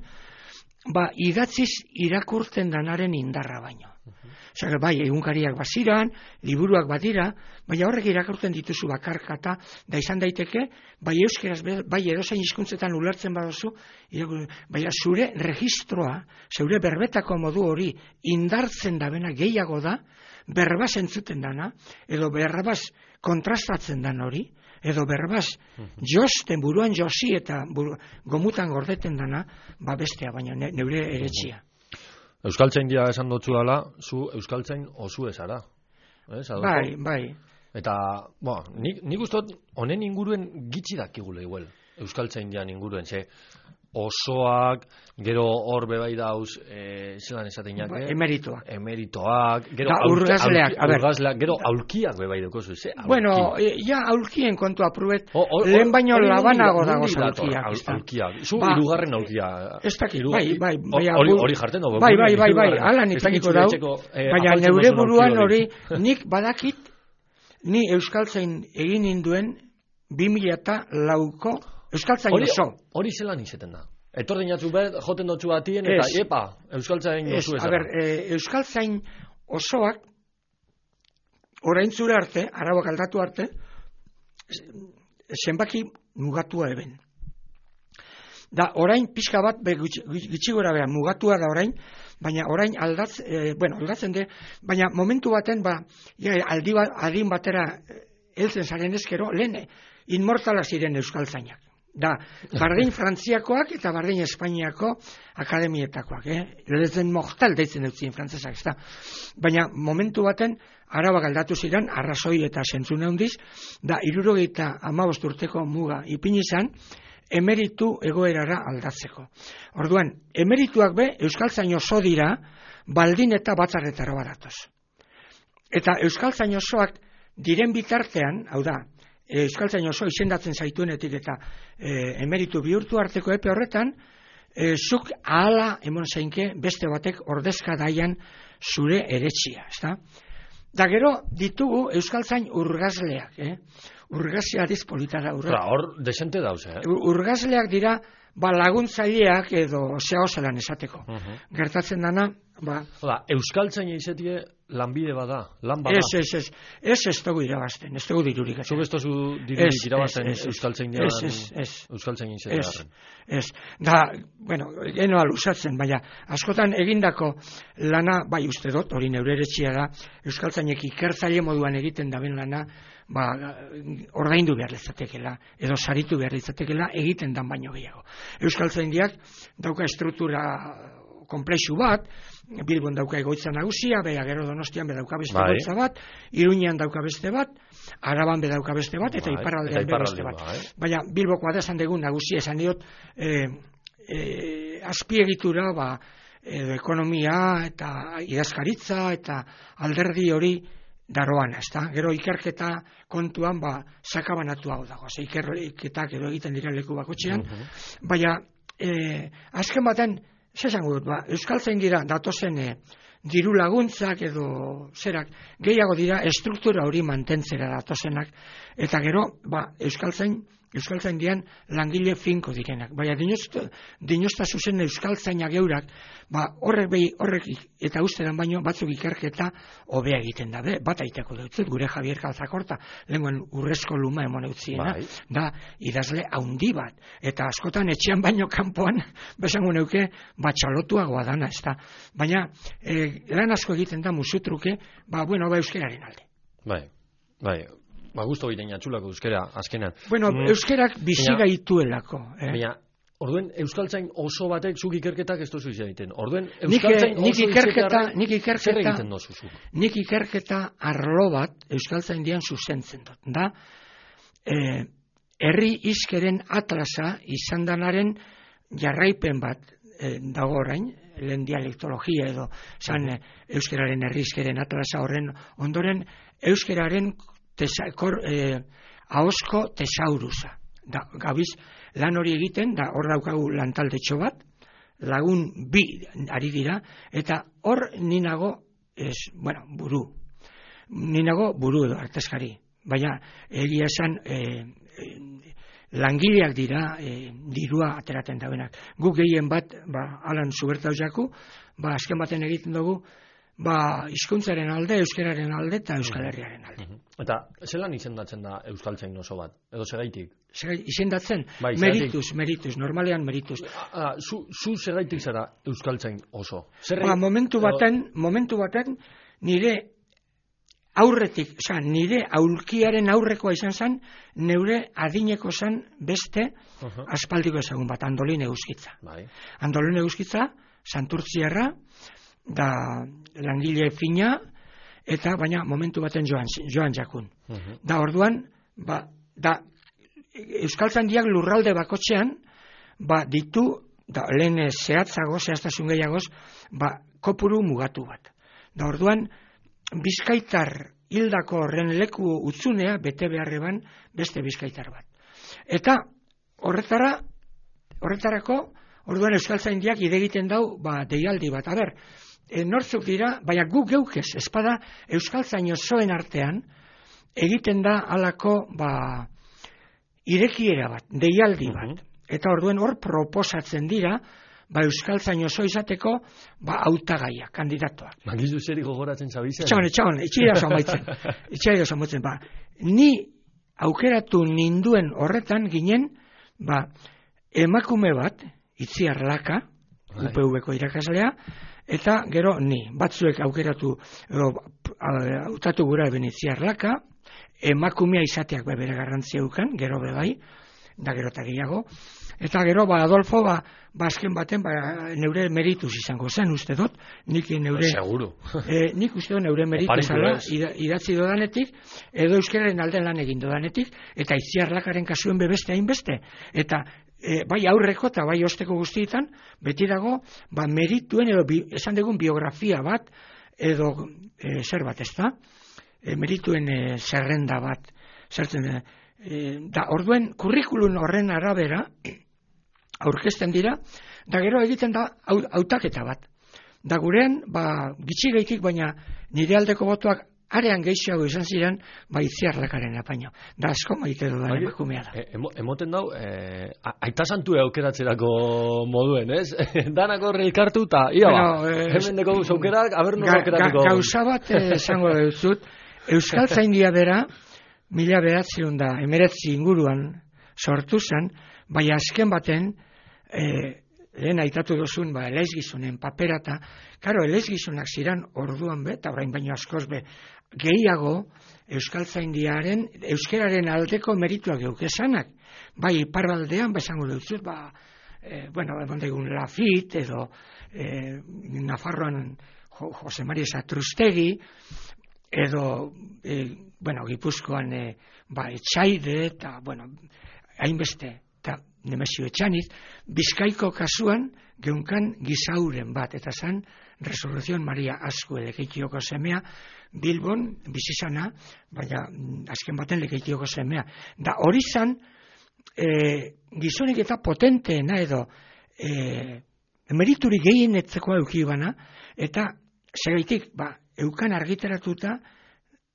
idatziz irakurtzen danaren indarra baino. Osea, bai, egunkariak baziran, liburuak badira, baina horrek irakurtzen dituzu bakarkata, da izan daiteke, bai euskeraz, bai edozein hizkuntzetan ulertzen baduzu, baina zure registroa, zure berbetako modu hori indartzen dabena gehiago da, berbaz entzuten dana, edo berbaz kontrastatzen dan hori, edo berbaz josten buruan josi eta gomutan gordeten dana, bestea, baina neure eretxia. Euskaltzain dia esan dutzu dela, zu euskaltzain osu ezara. Bai. Eta, nik ustot, honen inguruen gitxi dakigule igual, euskaltzain dian inguruen, ze osoak, gero hor bebai dauz, zelan esaten jake? Emeritoak, gero urgazleak, gero aulkiak bebai dukozu, ze? Bueno, aulkien kontu apruet, lehen baino labanago dago aulkiak. Zu irugarren aulkia. Ez dakit, bai. Hori jarten dugu. Bai, ala nipiniko dau, baina neure buruan hori, nik badakit, ni euskaltzain egin induen 2004ko euskaltzain oso. Hori zelan izeten da? Etorren jatzu bet, joten dutzu batien, eta euskaltzain oso ezara. Euskaltzain osoak, orain zure arte, arauak aldatu arte, zenbaki mugatua eben. Da, orain pixka bat, gitxi gora beha, mugatua da orain, baina orain aldatzen de, baina momentu baten, adin batera heltzen zaren ezkero, lehen inmortala ziren euskaltzainak. Da, bardin frantziakoak eta bardin espainiako akademietakoak, Lezen mortal deitzen dutzien frantzesak, ez da. Baina momentu baten, arauak aldatu ziren, arrazoi eta zentzune handiz, da, 75 urteko muga ipini izan, emeritu egoerara aldatzeko. Orduan, emerituak be, euskaltzain oso dira, baldin eta batzarretara badatoz. Eta euskaltzain osoak diren bitartean, hau da, euskaltzain oso izendatzen zaituenetik eta emeritu bihurtu arteko epe horretan, zuk ahala emon zeinke beste batek ordezka daian zure eretxia, ezta? Da gero ditugu euskaltzain urgazleak, urgazia dizpolitara. Hor desente dauz, Urgazleak dira, laguntzaileak edo zehaozelan esateko. Gertatzen dana, euskaltzain izetie lanbide bada, lan bada. Ez dugu irabazten, ez dugu dirurik. Zuk ez dugu dirurik irabazten euskaltzain izetearen. Ez. Da, genoa luzatzen, baina askotan egindako lana, bai uste dut, hori neure eretxia da, euskaltzainek ikertzaile moduan egiten daben lana, ordaindu behar litzatekela, edo saritu behar litzatekela, egiten dan baino gehiago. Euskaltzaindiak dauka estruktura komplexu bat, Bilbon dauka egoitza nagusia, gero Donostian dauka beste egoitza bat, Iruñean dauka beste bat, Araban dauka beste bat, eta iparraldean beste bat. Baina Bilbokoa da esan dugu nagusia, esan diot, azpiegitura edo ekonomia eta idazkaritza eta alderdi hori daroan, ezta? Gero ikerketa kontuan sakabanatu hau dago. Ikerketak edo egiten dira leku bakotxean, baina azken baten, zesango dut, euskaltzaindira datozen diru laguntzak edo zerak gehiago dira estruktura hori mantentzera datozenak, eta gero euskaltzaindian langile finko direnak. Baina dinosta zuzen euskaltzainak eurak, horrek eta ustedan baino batzuk ikerketa hobea egiten da. Bat aiteko dutzut, gure Javier Calzakorta, lehengoen urrezko luma emon eutziena, da idazle haundi bat. Eta askotan etxean baino kanpoan, besango neuke, txalotuagoa dana, ez da. Baina, lan asko egiten da musutruke, euskeraren alde. Bai. Gusto egiten atxulako euskera, azkenan. Euskerak bizi gaituelako. Baina, orduen euskaltzain oso batek zuk ikerketak ez dozu egiten. Orduen euskaltzain oso ikerketarren zer egiten dozu zuk? Nik ikerketa arlo bat euskaltzain dian zuzentzen dut. Da, herri izkeren atlasa izan danaren jarraipen bat dago orain, lehen dialektologia edo zan euskeraren herri izkeren atlasa horren ondoren euskeraren ahosko tesaurusa. Gabiz lan hori egiten, hor daukagu lantaldetxo bat, lagun 2 ari dira, eta hor ninago buru edo artezkari. Baina egia esan langileak dira dirua ateraten daudenak. Guk gehien bat, Alan Zubertau jaku, azken baten egiten dugu, hizkuntzaren alde, euskararen alde eta Euskal Herriaren alde. Eta zelan izendatzen da euskaltzain oso bat? Edo segaitik? Izendatzen? Merituz, normalean merituz. Zu segaitik zara euskaltzain oso? Momentu baten nire aurretik, nire aulkiaren aurrekoa izan zen, neure adineko zen beste aspaldiko ezagun bat, Andolin Eguzkitza. Andolin Eguzkitza, Santurtziarra, da langile fina, eta baina momentu baten joan jakun. Da orduan, euskaltzaindiak lurralde bakotxean, ditu, lehen zehaztasun gehiagoz, kopuru mugatu bat. Da orduan, bizkaitar hildako horren leku utzunea, bete beharreban beste bizkaitar bat. Eta horretarako, orduan euskaltzaindiak idegiten dau, deialdi bat. Nortzuk dira, baina guk geukez, espada euskaltzain osoen artean, egiten da halako irekiera bat, deialdi bat. Eta orduen hor proposatzen dira, euskaltzain oso izateko, hautagaiak, kandidatuak. Magizu zeri gogoratzen zabizen? Etxagon, itxaira zamaitzen. Ni aukeratu ninduen horretan ginen, emakume bat, Itziar Laka, UPV-ko irakaslea, eta gero ni, batzuek aukeratu, hautatu gura eben Itziar Laka, emakumea izateak bere garrantzia ukan, gero bebai, da gero eta gehiago, eta gero Adolfo, azken baten, neure merituz izango zen, uste dut, nik uste dut neure merituz idatzi dodanetik, edo euskeraren alden lan egin dodanetik, eta Itziar Lakaren kasuen bebeste hainbeste, eta bai aurreko eta bai osteko guztietan, beti dago, merituen edo esan dugun biografia bat, edo zer bat ez da, merituen zerrenda bat, zertzen da, orduen kurrikulun horren arabera, aurkezten dira, da gero egiten da hautaketa bat. Da gurean, gitxi gaitik, baina nire aldeko botuak arean gehiago izan ziren, Itziar Lakaren apaino. Da asko maite dudan emakumea da. Emoten dau, aita santu aukeratzerako moduen, ez? Danak horre elkartu eta, hemen deko zaukerak, abernu aukeratuko. Gauza bat esango dut, euskaltzaindia bera, 1919 inguruan sortu zen, bai azken baten, lehen aitatu duzun, eleizgizunen paperata, karo, eleizgizunak ziren orduan eta orain baino askoz gehiago euskaltzaindiaren, euskeraren aldeko merituak geukesanak. Bai, iparraldean, esango dut, egon Lafit, edo Nafarroan Jose Maria Satrustegi, edo, Gipuzkoan, Etxaide, eta, hainbeste. Eta Nemesio Etxaniz, Bizkaiko kasuan geunkan gizauren bat, eta zan Resurrección Maria Azkue Lekeitioko semea, Bilbon bizizana, baina azken baten Lekeitioko semea. Da hori zan, gizonik eta potenteena edo emerituri gehienetzeko eukibana, eta segaitik, eukan argitaratuta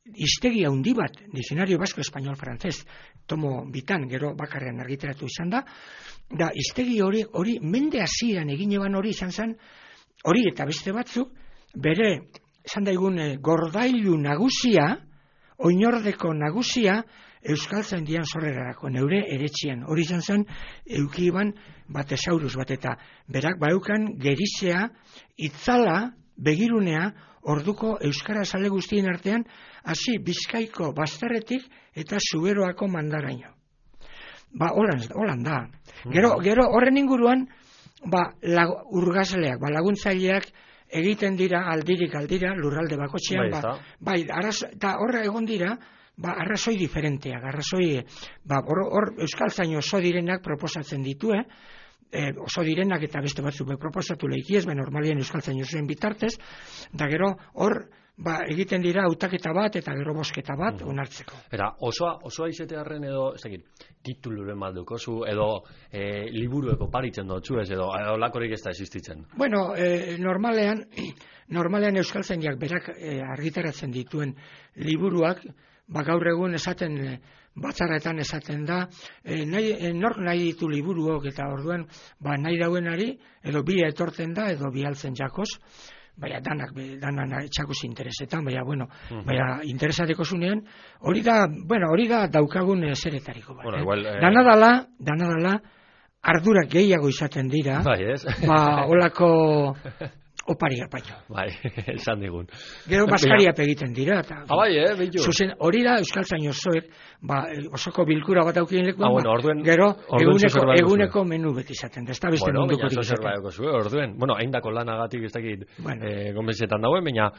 hiztegi handi bat, Diccionario Vasco Español Francés, tomo bitan, gero bakarrean argitaratu izan da hiztegi hori mende hasieran egin eban hori izan zen, hori eta beste batzuk, bere, esan daigun, gordailu nagusia, oinordeko nagusia, Euskaltzaindian sorrerarako, neure eretxian. Hori izan zen, eukiban batesaurus bat, eta berak baukan gerizea, itzala, begirunea, orduko euskara sale guztien artean, hasi Bizkaiko bazterretik eta Zuberoako mandaraino. Holan da. Gero horren inguruan, urgazleak, laguntzaileak egiten dira aldirik aldira lurralde bakotxean, eta horra egon dira, arrazoi diferenteak, hor euskaltzaino oso direnak proposatzen ditu, oso direnak eta beste batzuk proposatu lehikiez, normalien euskaltzaino zuen bitartez, da gero hor egiten dira hautaketa bat eta gero bosketa bat onartzeko. Eta osoa izetearen edo, ez dakit, tituluren baldukozu, edo liburueko paritzen dutzu ez, edo lakorik ez da existitzen? Bueno, normalean euskaltzainak berak argitaratzen dituen liburuak, gaur egun esaten, batzarretan esaten da, nork nahi ditu liburuok eta orduan, nahi dauenari, edo bi etortzen da, edo bi altzen jakoz, danak txakuz interesetan, interesateko zunean, hori da daukagun zeretariko bat. Dana dala, ardurak gehiago izaten dira, holako oparia paio. Esan digun. Gero baskariap egiten dira. Beitu. Zuzen, hori da euskaltzain osoek, osoko bilkura bat aukien lekuan, gero eguneko menu beti izaten da. Ez da beste munduko dik izaten. Orduen, haindako lanagatik ez dakit konbentzetan dauen, baina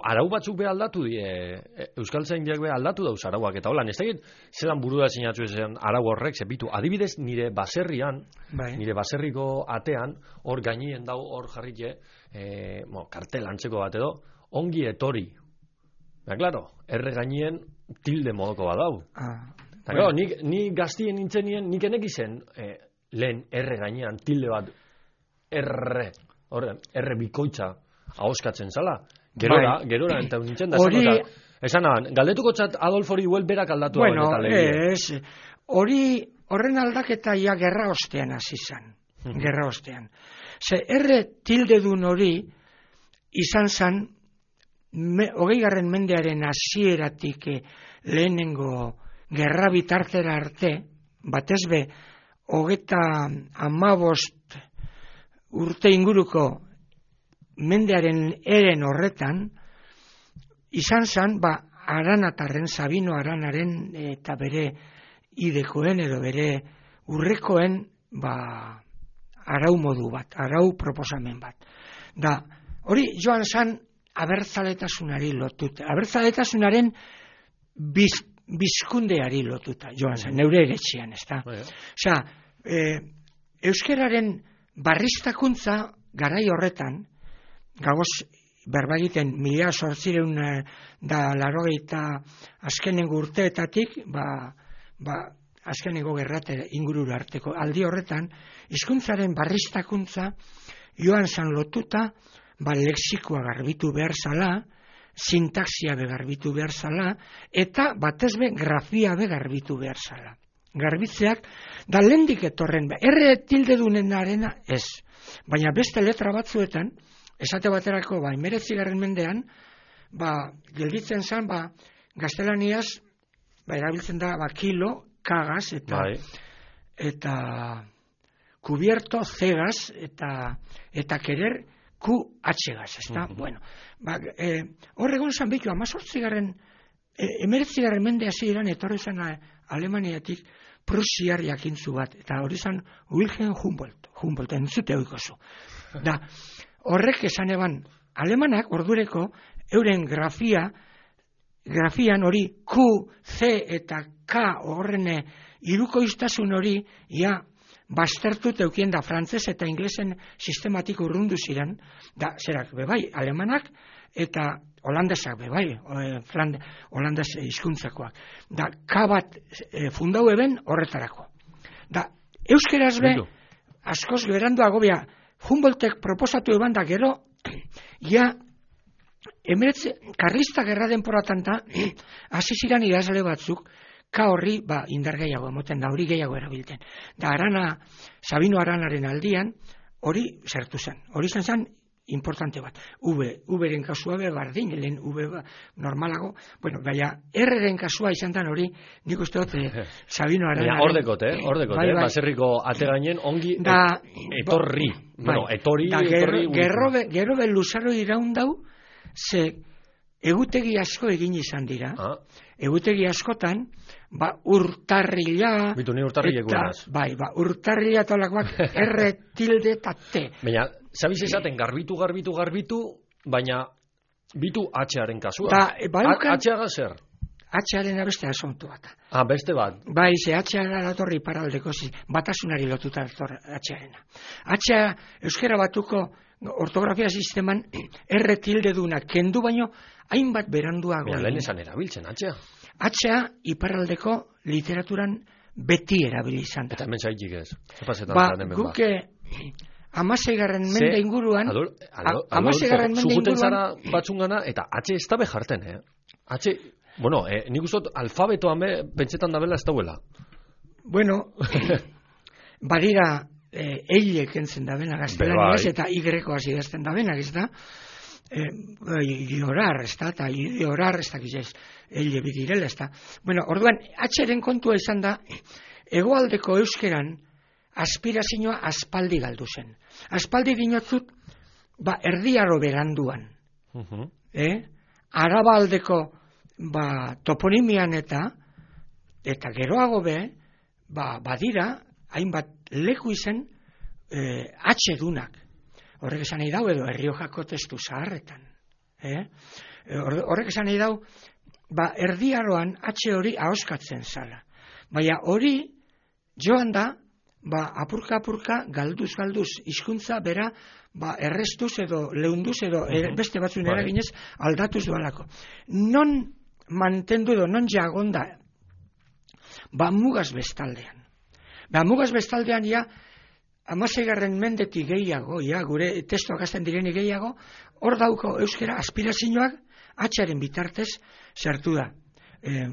arau batzuk be aldatu euskaltzaindiak be aldatu dauz arauak, eta holan, ez dakit zelan burua sinatu ezen arau horrek, zepitu, adibidez nire baserrian, nire baserriko atean, hor gainien dau, hor jarrike, kartel antzeko bat edo, ongi etori. Claro, erre gainien tilde modoko bat dau. Eta claro, ni gaztien nintzenien, nik enek izen lehen erre gainean tilde bat erre bikoitza ahoskatzen zala. Gerora, eta nintzen da esan galdetuko txat Adolfori huel berak aldatu eta lehia. Horren aldaketa ja gerra ostean hasi zan. Gerra ostean. Erre tildedun hori izan zan 20. mendearen hasieratik lehenengo gerra bitartera arte, batezbe 35 urte inguruko mendearen eren horretan, izan zan, Aranatarren, Sabino Aranaren eta bere idekoen edo bere urrekoen arau modu bat, arau proposamen bat. Hori joan zan abertzaletasunari lotuta, abertzaletasunaren bizkundeari lotuta joan zan, neure eretxean, ez da. Osea, euskeraren barriztakuntza garai horretan, gagoz berbagiten 1880 azkenengo urteetatik, azkenengo gerrate ingurura arteko aldi horretan, hizkuntzaren barriztakuntza joan zan lotuta, lexikoa garbitu behar zala, sintaxia begarbitu behar zala, eta batezbe grafia begarbitu behar zala. Garbitzeak, da lehendik etorren, erre tildedunen arena ez, baina beste letra batzuetan, esate baterako, 19. mendean, gelditzen zen, gaztelaniaz, erabiltzen da, kilo, kagaz, eta kubierto, zegaz, eta querer, QH-gaz, ez da? Horregon zan behitu, 19. mendea ziren, etorri zen Alemaniatik, Prusiar jakintzu bat, eta hori zen Wilhelm Humboldt, entzute oikozu. Horrek esan eban, alemanak ordureko euren grafian hori Q, C eta K horren irukoiztasun hori, baztertut eukien da frantzes eta inglesen sistematik urrundu ziren, da, zerak, bebai, alemanak, eta holandesak, bebai, holandes hizkuntzakoak. Da, kabat fundau eben horretarako. Da, euskeraz be, askoz beranduago bea, Humboldtek proposatu eban da gero, ja, karlista gerra denporatan da, hasi ziren idazle batzuk, ka horri, indar gehiago emoten da, hori gehiago erabilten. Da, Sabino Aranaren aldian, hori zertu zen. Hori zen importante bat. Uberen kasua be, bardin, lehen normalago, bueno, baina, erreren kasua izan dan hori, nik uste dut, Sabino Aranaren... Hordekot, baserriko ategainen ongi etorri. Bueno, etorri... Gero be luzaro iraundau, ze egutegi asko egin izan dira. Egutegi askotan, urtarrila... Bitu, ni urtarrilek guanaz. Urtarrila tolakoak erre tilde eta te. Baina, zabiz esaten garbitu, baina bitu H-aren kasua. H-aga zer? H-aren abeste asontu bat. Beste bat. Ze H-aga datorri paraldeko batasunari lotuta H-arena. H-a euskera batuko ortografia sisteman erre tilde duna kendu baino hainbat beranduago. Lehen esan erabiltzen, H-a. H-a iparraldeko literaturan beti erabili izan da. Eta hemen zaitik ez. Guke 16. mende inguruan... Zuguten zara batzungana, eta H ez dabe jarten, H, bueno, nik ustot alfabetoan be, pentsetan dabela ez dauela. Bueno, badira eilek entzen dabena gaztelaniaz, eta Y-ko hasi dazten dabenak, ez da? Iorar, ez da, eta iorar, ez da, eile bidirela, ez da. Bueno, orduan, H-ren kontua izan da, hegoaldeko euskeran, aspirazioa aspaldi galdu zen. Aspaldi dinotzut, erdiaro beranduan. Arabaldeko toponimian eta geroago be, badira, hainbat leku izen H-dunak. Horrek esan nahi dau edo Erriojako testu zaharretan. Horrek esan nahi dau, erdiaroan H hori ahoskatzen zala. Baina hori joan da, apurka, galduz, hizkuntza bera, errestuz edo leunduz edo beste batzuen eraginez aldatuz dualako. Non mantendu edo, non jagonda, mugaz bestaldean. Mugaz bestaldean, 16. mendetik gehiago, gure testuak azten direnik gehiago, hor dauko euskera aspirazioak H-aren bitartez zertu da,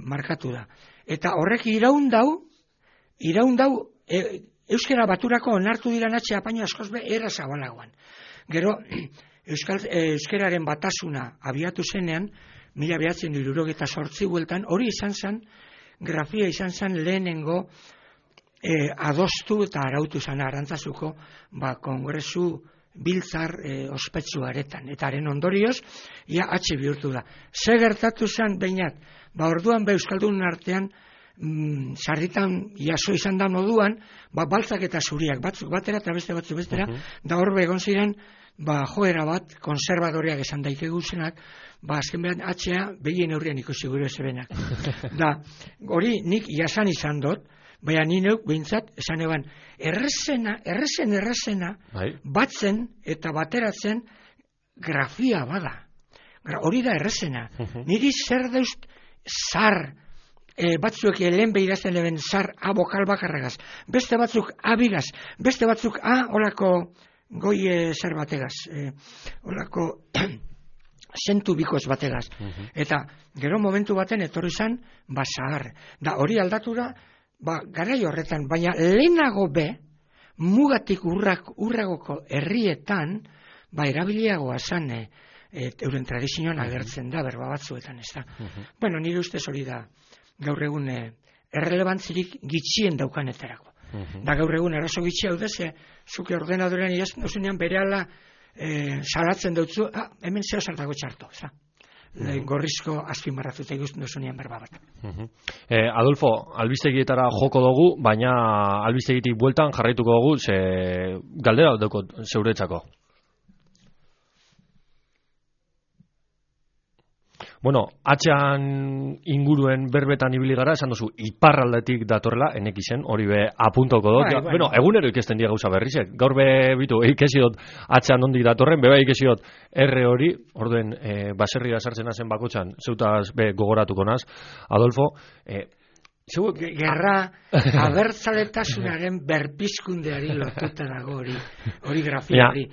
markatu da. Eta horrek iraundau, euskera baturako onartu diran H apaino askoz be era zabalagoan. Gero, euskeraren batasuna abiatu zenean, 1978 bueltan, hori izan zen, grafia izan zen lehenengo adostu eta arautu zen Arantzazuko kongresu biltzar ospetsu aretan. Eta haren ondorioz, H bihurtu da. Ze gertatu zen, behinat, orduan euskaldun artean, sarritan jaso izan da moduan, baltzak eta zuriak, batzuk batera eta beste batzuk bestera, da hor begon ziren, joera bat, konservadoreak esan daikegu zenak, azken behan H-a behien aurrian ikusi gure zebenak. Da, hori nik jasan izan dut, baina ni neuk behintzat, esan eban, errezena, batzen eta bateratzen grafia bada. Hori da errezena. Niri zer daust zar, batzuek lehen behirazten leben zar a bokal bakarragaz, beste batzuk abigaz, beste batzuk olako goi zer bategaz, olako sentu bikoz bategaz. Eta gero momentu baten etorri zan, zahar. Da hori aldatu da, garai horretan, baina lehenago be, mugatik urragoko herrietan, erabiliagoa zan, euren tradizioan agertzen da, berba batzuetan, ez da. Bueno, nire ustez hori da, gaur egun errelebantzirik gitxien daukanetarako. Da gaur egun eraso gitxi hau dez, zuke ordenadorean idazten berehala salatzen dutzu, hemen zeo zartago txarto, gorrizko azpimarratuta ikusten duzunean berba bat. Adolfo, albistegietara joko dugu, baina albistegitik bueltan jarraituko dugu, ze galdera dauko zeuretzako. Bueno, atxean inguruen berbetan ibili gara, esan duzu, iparraldetik datorrela, enek izen, hori be apuntoko dut. Bai. Bueno, egunero ikesten dira gauza berrizek. Gaur be, bitu, ikesidot atxean ondik datorren, beba ikesidot R hori, orduen baserria sartzen hazen bakotxan, zeutaz be gogoratuko naz, Adolfo, Gerra abertzaletasunaren berpizkundeari lotuta dago hori grafia hori.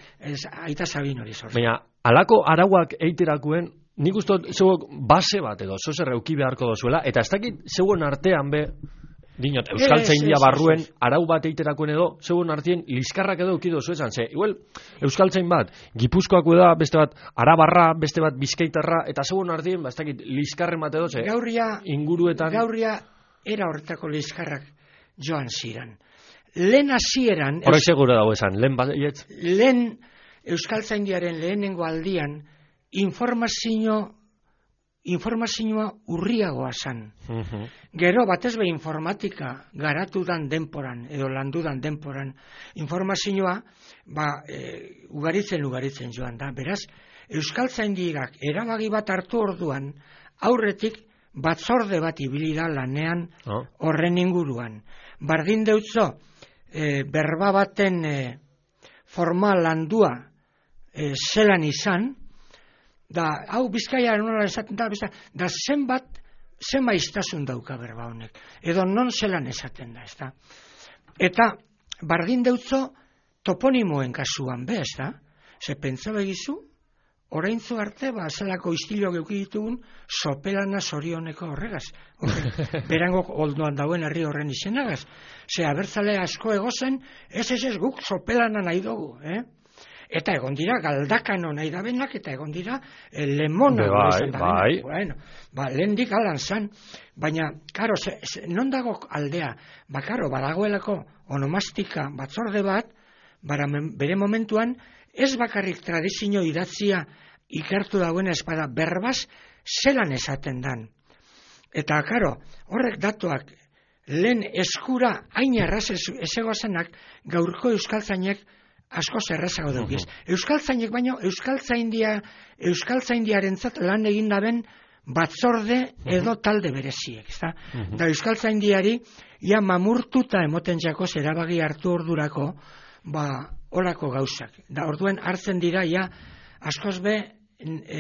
Aita Sabin hori sortzen. Baina, alako arauak eiterakuen, nik ustot, zeuok base bat edo, zozer euki beharko dozuela, eta ez dakit zeuen artean be, dinot, Euskaltzaindia barruen arau bat eiterakuen edo, zeuen artien liskarrak edo eukido zuezan, ze, igual, Euskaltzain bat, Gipuzkoako da, beste bat, Arabarra, beste bat, Bizkaitarra, eta zeuen artien, ez dakit, liskarren bat edo, ze, inguruetan... Gaurria era horretako liskarrak joan ziren. Lehen hasieran... Horrek segura dago esan, lehen bat, lehen Euskaltzaindiaren lehenengo aldian, informazioa urriagoa zan. Gero, batez be informatika garatudan denporan, edo landudan denporan, informazioa, ugaritzen joan da. Beraz, Euskaltzaindiak erabaki bat hartu orduan, aurretik batzorde bat ibili da lanean horren inguruan. Bardin deutzo, berba baten formal landua zelan izan, da, hau Bizkaia nola esaten da zenba iztasun dauka berba honek, edo non zelan esaten da, ezta? Eta, bardin deutzo, toponimoen kasuan be, ezta? Ze pentsa begizu, oraintzu arte, zelako istilok euki ditugun, sopelana zorioneko horregaz. Berango olduan dauen herri horren izenagaz. Ze abertzale asko egozen, ez guk sopelana nahi dugu, Eta egon dira galdakano nahi dabenak, eta egon dira lemona nahi dabenak. Bueno, lehendik alan zan. Baina, karo, non dago aldea? Karo, badagoelako onomastika batzorde bat, bere momentuan, ez bakarrik tradizio idatzia ikertu dagoen espada, berbaz zelan esaten dan. Eta, karo, horrek datuak lehen eskura hain erraz ez egoazenak gaurko euskaltzainek asko zerrezago dugu. Euskaltzainek baino, euskaltzaindiarentzat lan egin daben batzorde edo talde bereziek. Da euskaltzaindiari, ia mamurtuta emoten jakoz erabagi hartu ordurako, olako gauzak. Da orduen hartzen dira, ja, askoz be,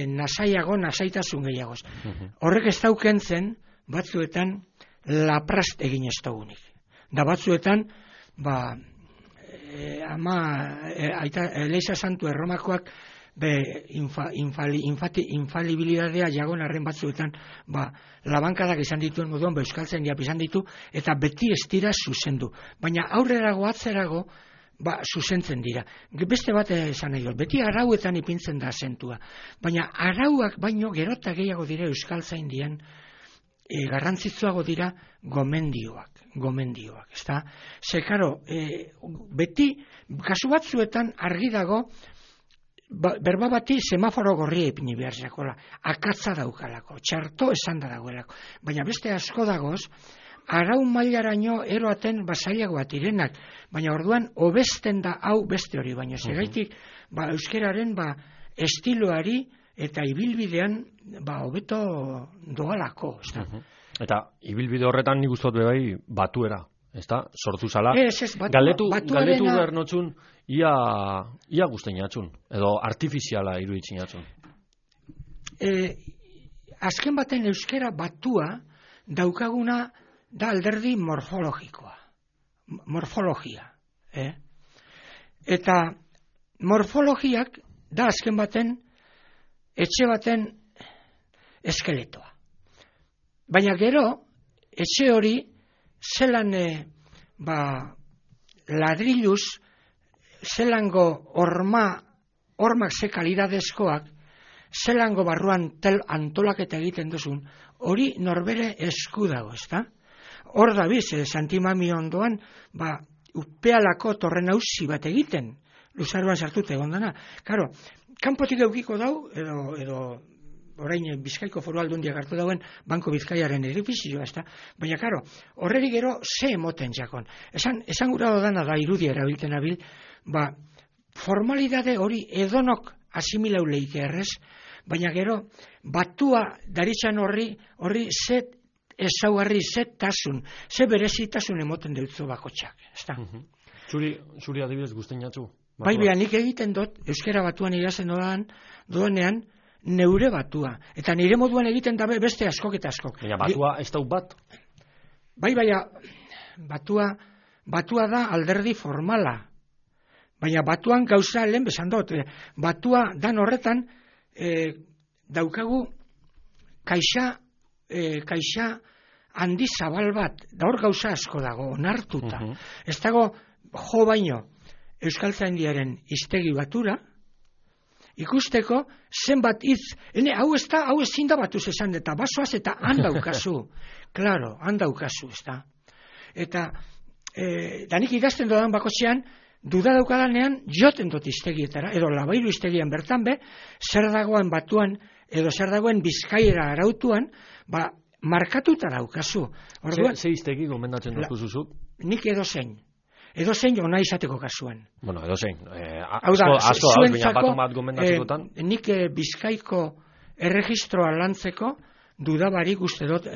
nasaitasun gehiagoz. Horrek ez daukentzen, batzuetan, laprast egin ez dugunik. Da batzuetan, Leiza Santu Erromakoak infalibilidadea jagon arren batzuetan labankadak izan dituen moduan euskaltzaindia izan ditu eta beti ez dira zuzendu. Baina aurrerago atzerago zuzentzen dira. Beste bat esan nahi dut, beti arauetan ipintzen da azentua. Baina arauak baino gerota gehiago dira euskaltzaindian garrantzitsuago dira gomendioak, ezta? Ze, karo, beti, kasu batzuetan argi dago, berba bati semaforo gorria ipini behar zakola, akatza daukalako, txarto esan da dagoelako. Baina beste asko dagoz, arau mailaraino eroaten basailago bat irenak, baina orduan hobesten da hau beste hori, baina segaitik euskeraren estiloari eta ibilbidean hobeto doalako, ezta? Eta ibilbide horretan nik ustot bebai batuera, ezta? Sortu zala. Galdetu behar notzun, ia guztein atxun, edo artifiziala iruditzen atxun. Azken baten euskera batua daukaguna da alderdi morfologikoa. Morfologia. Eta morfologiak da azken baten etxe baten eskeletoa. Baina gero, etxe hori zelan ladriluz, zelango hormak ze kalidadezkoak, zelango barruan antolaketa egiten duzun, hori norbere esku dago, ezta? Hor da biz, Santimami ondoan, upealako torren hausi bat egiten, luzaruan sartute egondana. Karo, kanpotik eukiko dau, edo orain Bizkaiko Foru Aldundiak hartu dauen Banko Bizkaiaren edifizioa, ezta? Baina, karo, horreri gero ze emoten jakon. Esan gura dodana da irudia erabilten abil, formalidade hori edonok asimilau leike errez, baina gero, batua daritxan horri zet ezaugarri, zetasun, ze berezitasun emoten deutzu bakotxak, ezta? Zuri adibidez guztien jatzu? Bai, nik egiten dut, euskera batuan irazen doanean, neure batua. Eta nire moduan egiten dabe beste askok eta askok. Baina batua ez dau bat? Bai, batua da alderdi formala. Baina batuan gauza lehen besan dut. Batua dan horretan daukagu kaixa handi zabal bat. Da hor gauza asko dago, onartuta. Ez dago jo baino Euskaltzaindiaren hiztegi batura, ikusteko zenbat hitz, hau ezin da batuz esan, eta basoaz eta handaukazu. Claro, handaukazu, ez da. Eta, danik idazten dodan bakotxean, duda daukadanean, joten dut hiztegietara, edo Labairu hiztegian bertan be, zer dagoen batuan, edo zer dagoen Bizkaiera arautuan, markatuta daukazu. Ze hiztegi gomendatzen dut zuzuk? Nik edozein ona izateko kasuan. Bueno, edozein. Asko, baina bat gomendatzekotan. Nik Bizkaiko erregistroa lantzeko dudabarik uste dut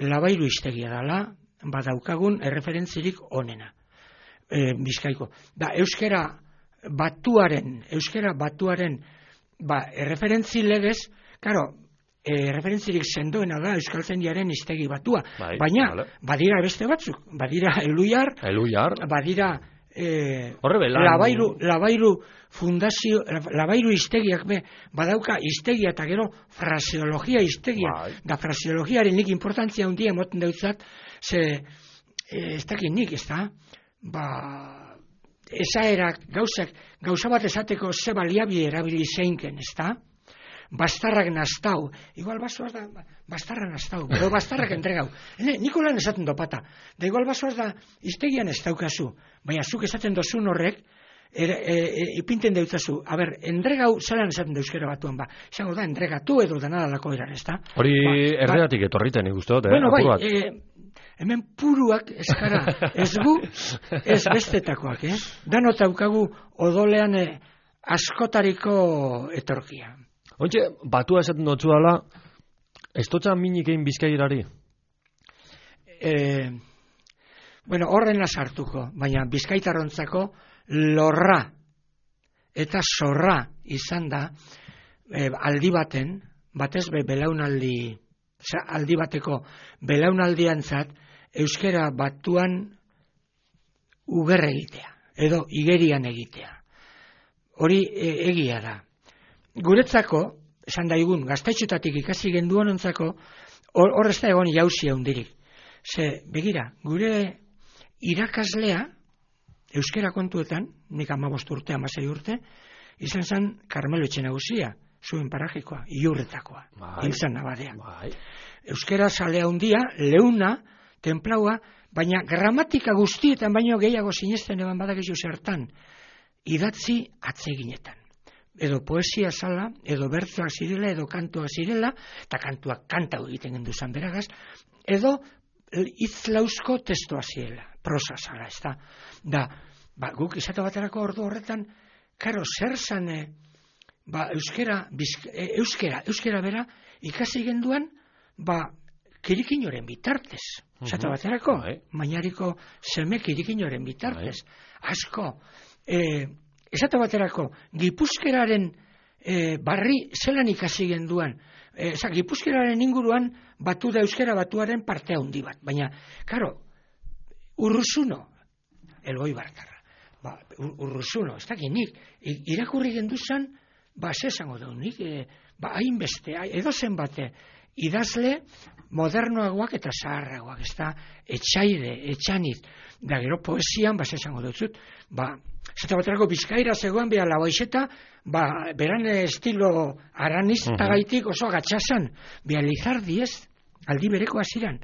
Labairu hiztegia dela, badaukagun erreferentzirik onena. Bizkaiko. Da, euskera batuaren erreferentzi legez, karo, referentzirik sendoena da Euskaltzaindiaren hiztegi batua. Baina, badira beste batzuk. Badira Eluiar. Badira Labairu fundazio, Labairu hiztegiak badauka hiztegia eta gero fraseologia hiztegia. Da fraseologiaren nik importantzia handia emoten dautzat, ze ez dakit nik, ez da? Esaerak, gauza bat esateko ze baliabide erabili zeinken, ez da? Bastarrak nastau, igual basoaz da bastarrak nastau, edo bastarrak entregau. Nikolan esaten dopata, da igual basoaz da hiztegian ez daukazu, baina zuk esaten dozun horrek, ipinten deutzazu, entregau zelan esaten da euskera batuan, izango da, entregatu edo danadalako eran, ez da? Hori erreatik etorriten ikuste dut, bueno, hemen puruak eskara, ez gu, ez bestetakoak, danot daukagu odolean askotariko etorkia. Ointxe, batua esaten dutzu dala, ez dutza minik egin Bizkairari? Horren sartuko, baina bizkaitarrontzako lorra eta zorra izan da aldi baten, batez aldi bateko belaunaldiantzat euskera batuan uber egitea, edo igerian egitea. Hori egia da. Guretzako, esan daigun, gaztetxotatik ikasi genduonontzako, hor ez da egon jauzia hundirik. Ze, begira, gure irakaslea, euskera kontuetan, nik 15 urte, 16 urte, izan zen Karmelo Etxenagusia, zuen parajikoa, Iurretakoa, hilzan nabadea. Euskera salea hundia, leuna, templaua, baina gramatika guztietan baino gehiago sinesten eban badakizu zertan, idatzi atseginetan. Edo poesia zala, edo bertzoak zirela, edo kantuak zirela, eta kantuak kantau egiten genduzan beragaz, edo hitzlauzko testua zirela, prosa zala, ez da. Da, guk izate baterako ordu horretan, karo, zer zan, euskera bera, ikasi genduan, kirikinoren bitartez. Izate baterako, mainariko seme kirikinoren bitartez. Asko, esate baterako, Gipuzkeraren barri zelan ikasi genduan. Gipuzkeraren inguruan batu da euskera batuaren parte handi bat. Baina, karo, Urruzuno, Elgoi Bartarra. Urruzuno, ez dakit nik, irakurri genduzan, zesango da nik, hainbeste, edozen bate, idazle modernoagoak eta zaharragoak, ez da, etxaide, etxaniz, da gero poesian, zesango dutzut, zeta baterako Bizkaira zegoen beha Labaixeta, beran estilo aranistagaitik oso gatxasan, beha Lizardi ez, aldi bereko hasiran,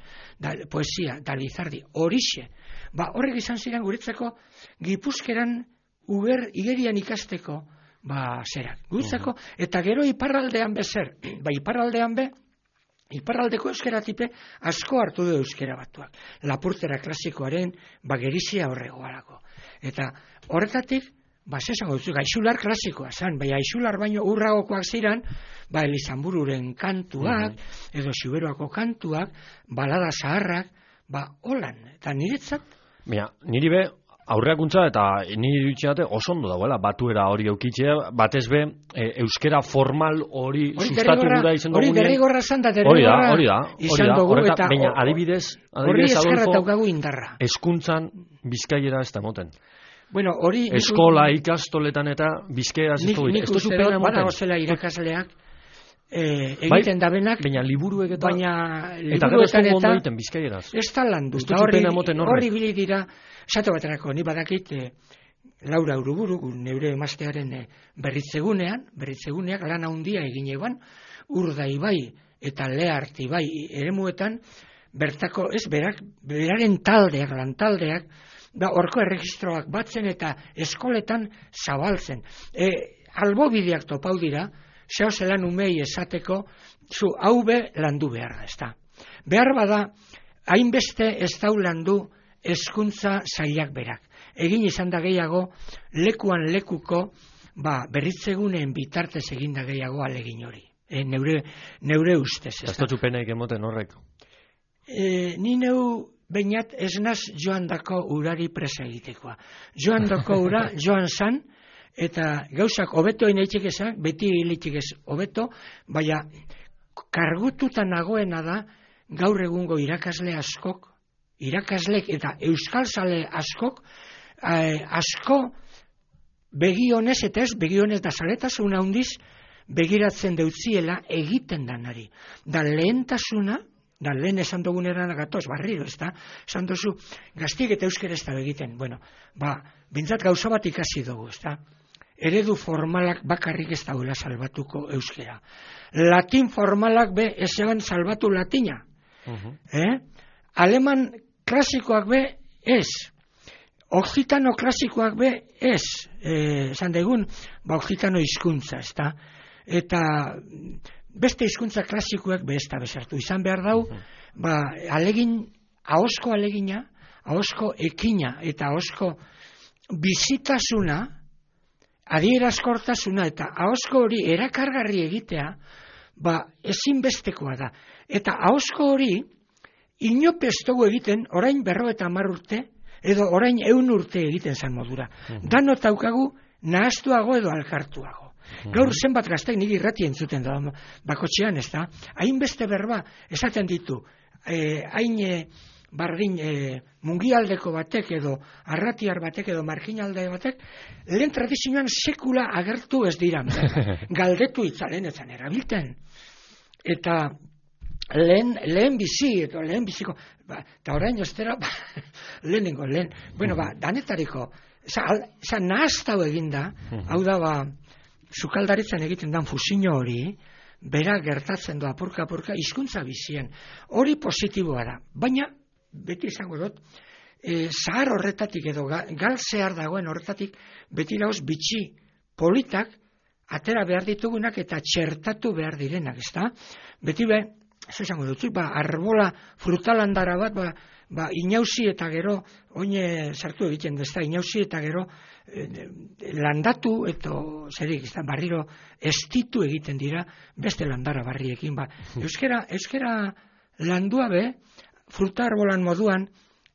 poesia, da Lizardi, horixe. Horrek izan ziren guretzako Gipuzkeran igerian ikasteko zerak. Guretzako, eta gero iparraldean bezer, iparraldean iparraldeko euskeratipe asko hartu du euskera batuak. Lapurtera klasikoaren gerizia horregoarako. Eta horretatik, esango dut, gaixular klasikoa zan, bai gaixular baino urragokoak ziren, Elizanbururen kantuak, edo Xuberoako kantuak, balada zaharrak, holan, eta niretzat. Niri be, aurreakuntza eta niri iruditzen oso ondo dagoela, batuera hori eukitzea, batez be, euskera formal hori sustatu gura izan dugu. Hori derrigorra zan da, derrigorra izan dugu, eta adibidez, hori eskerra Adolfo, taukagu indarra. hezkuntzan bizkaiera ez da moten. Bueno, hori... Eskola, ikastoletan eta bizkaieraz ez dugu. Nik uste dut, badago zela irakasleak, egiten dabenak, baina liburuek eta eta gero ez dugu ondo egiten bizkaieraz. Ez da landu, eta horri bili dira, esate baterako, ni badakit Laura Uruburu, neure emaztearen berritzeguneak lan handia egin eban, Urda ibai eta Leart ibai eremuetan, bertako, beraren taldeak, lantaldeak, horko erregistroak batzen eta eskoletan zabaltzen. Albobideak topau dira, zeo zelan umei esateko, zu hau be landu behar da, ez da. Behar bada, hainbeste ez dau landu hezkuntza sailak berak. Egin izan da gehiago, lekuan lekuko, berritzeguneen bitartez egin da gehiago alegin hori. Neure ustez, ez da. Ez da txupenaik emoten horrek? Ni neu bainat ez naz joan dako urari presa egitekoa. Joan dako ura, joan zan, eta gauzak hobetoen eitzik esan, beti hilitzik ez hobeto, baina kargututa nagoena da gaur egungo irakasle irakaslek eta euskalzale asko begionez eta ez begionez da zaletasuna handiz begiratzen deutziela egiten danari. Da lehentasuna, da lehen esan duguneran gatoz, barriro, ez da, esan duzu, gaztik eta euskera ez da egiten. Bueno, bintzat gauza bat ikasi dugu, ez da. Eredu formalak bakarrik ez dauela salbatuko euskera. Latin formalak be ez eban salbatu latina. Aleman klasikoak be ez. Occitano klasikoak be ez. Esan degun, occitano hizkuntza, ez da. Eta beste hizkuntza klasikoak be ez da bezartu. Izan behar dau, ahosko alegina, ahosko ekina eta ahosko bizitasuna, adierazkortasuna eta ahosko hori erakargarri egitea, ezinbestekoa da. Eta ahosko hori, inope ez dugu egiten, orain 50 urte, edo orain 100 urte egiten zan modura. Danot daukagu nahaztuago edo alkartuago. Gaur zenbat gaztek nik irrati entzuten da, bakotxean ez da, hainbeste berba esaten ditu, hain bardin mungialdeko batek edo arratiar batek edo marginalde batek, lehen tradizioan sekula agertu ez dira. Galdetu itzalen etzan erabilten. Eta lehen biziko, eta orain ostera, lehen. Bueno, danetariko, nahaztau eginda, hau da, sukaldaritzan egiten dan fusio hori, bera gertatzen du apurka hizkuntza bizien. Hori positiboa da. Baina, beti izango dut, zahar horretatik edo gal zehar dagoen horretatik, beti dauz bitxi politak atera behar ditugunak eta txertatu behar direnak, ezta? Beti be, ez izango dut, arbola frutalandara bat, inauzi eta gero, oine sartu egiten dezta, inauzi eta gero, landatu eta zerik, barriro estitu egiten dira beste landara barriekin. Euskera landua be, fruta arbolan moduan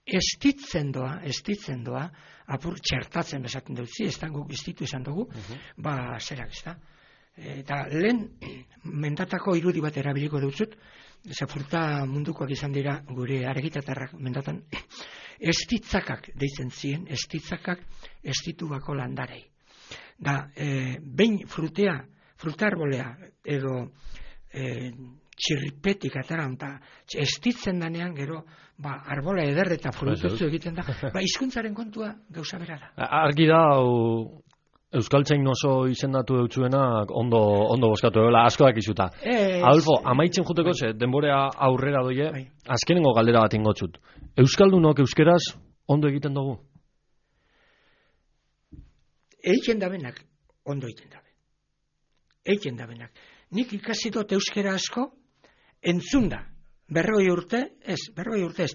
estitzen doa, apur txertatzen bezaten dutzi, ez da guk estitu izan dugu, zerak ez da. Eta lehen mendatako irudi bat erabiliko dutzut, fruta mundukoak izan dira gure argitatarrak mendatan, estitzakak deitzen ziren, estitzakak estitu bako landarei. Da, behin fruta arbolea edo txirripetik ataran, estitzen danean gero, arbola eder eta frutotzu egiten da, hizkuntzaren kontua gauza bera da. Argi da, Euskaltzain oso izendatu eutzuenak ondo boskatu egela, askoak izuta. Adolfo, amaitzen juteko ze, denborea aurrera doie, azkenengo galdera bat ingotzut. Euskaldunok euskeraz ondo egiten dugu? Eiken dabenak, ondo egiten dabe. Eiken dabenak. Nik ikasi dut euskera asko, entzunda. 40 urte ez.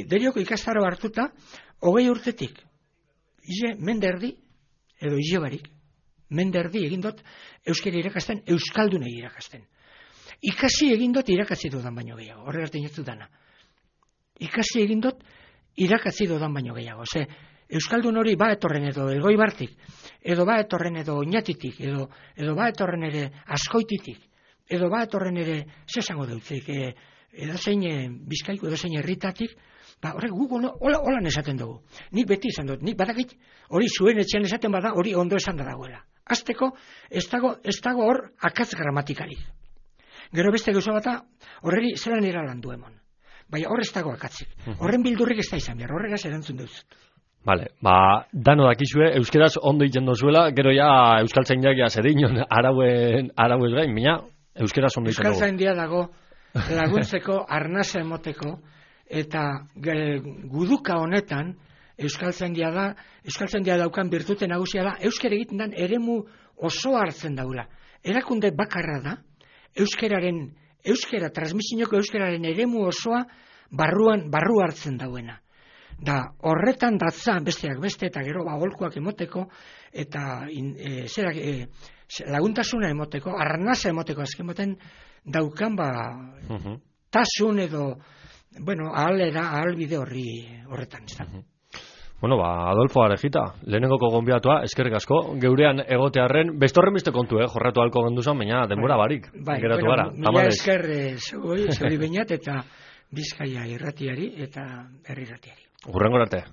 Derioko ikastaro hartuta, 20 urtetik. Ize, menderdi, edo ilebarik, menderdi egin dut euskara irakasten, euskaldunei irakasten. Ikasi egin dut irakatzi dudan baino gehiago, horregaz dinetzu dana. Ikasi egin dut irakatzi dudan baino gehiago. Ze, euskaldun hori ba etorren edo Elgoibartik, edo ba etorren edo Oñatitik, edo ba etorren ere Azkoititik, edo ba etorren ere, zesango dutzik, edo zein Bizkaiko, edo zein herritatik, ba, horrek guk holan esaten dugu. Nik beti izan dut, nik badakit, hori zuen etxean esaten bada, hori ondo esan da dagoela. Azteko, ez dago hor akatz gramatikarik. Gero beste gauza bata, horreri zelan eralandu emon. Baina hor ez dago akatzik. Horren bildurrik ez da izan behar, horregaz erantzun duz. Vale, dano dakizue, euskeraz ondo egiten dozuela, gero ja euskaltzainak ja zedinon arauez gain, mina euskeraz ondo egiten dugu. Euskaltzaindia dago laguntzeko, arnasa emoteko, eta guduka honetan euskaltzaindia daukan birtute nagusia da, euskara egiten den eremu oso hartzen daula. Erakunde bakarra da, transmisioko euskararen eremu osoa barru hartzen dauena. Da, horretan datza besteak beste, eta gero aholkuak emoteko, eta laguntasuna emoteko, arnasa emoteko azken moten daukan tasun edo, ahal bide horretan. Bueno, Adolfo Arejita, lehenengoko gonbidatua, eskerrik asko, geurean egotearren, bestorren beste kontu, jorratu halko genduzan, baina denbora barik, geratu gara. Mila esker zeuri bainat, eta Bizkaia irratiari, eta herri irratiari. Hurrengo arte.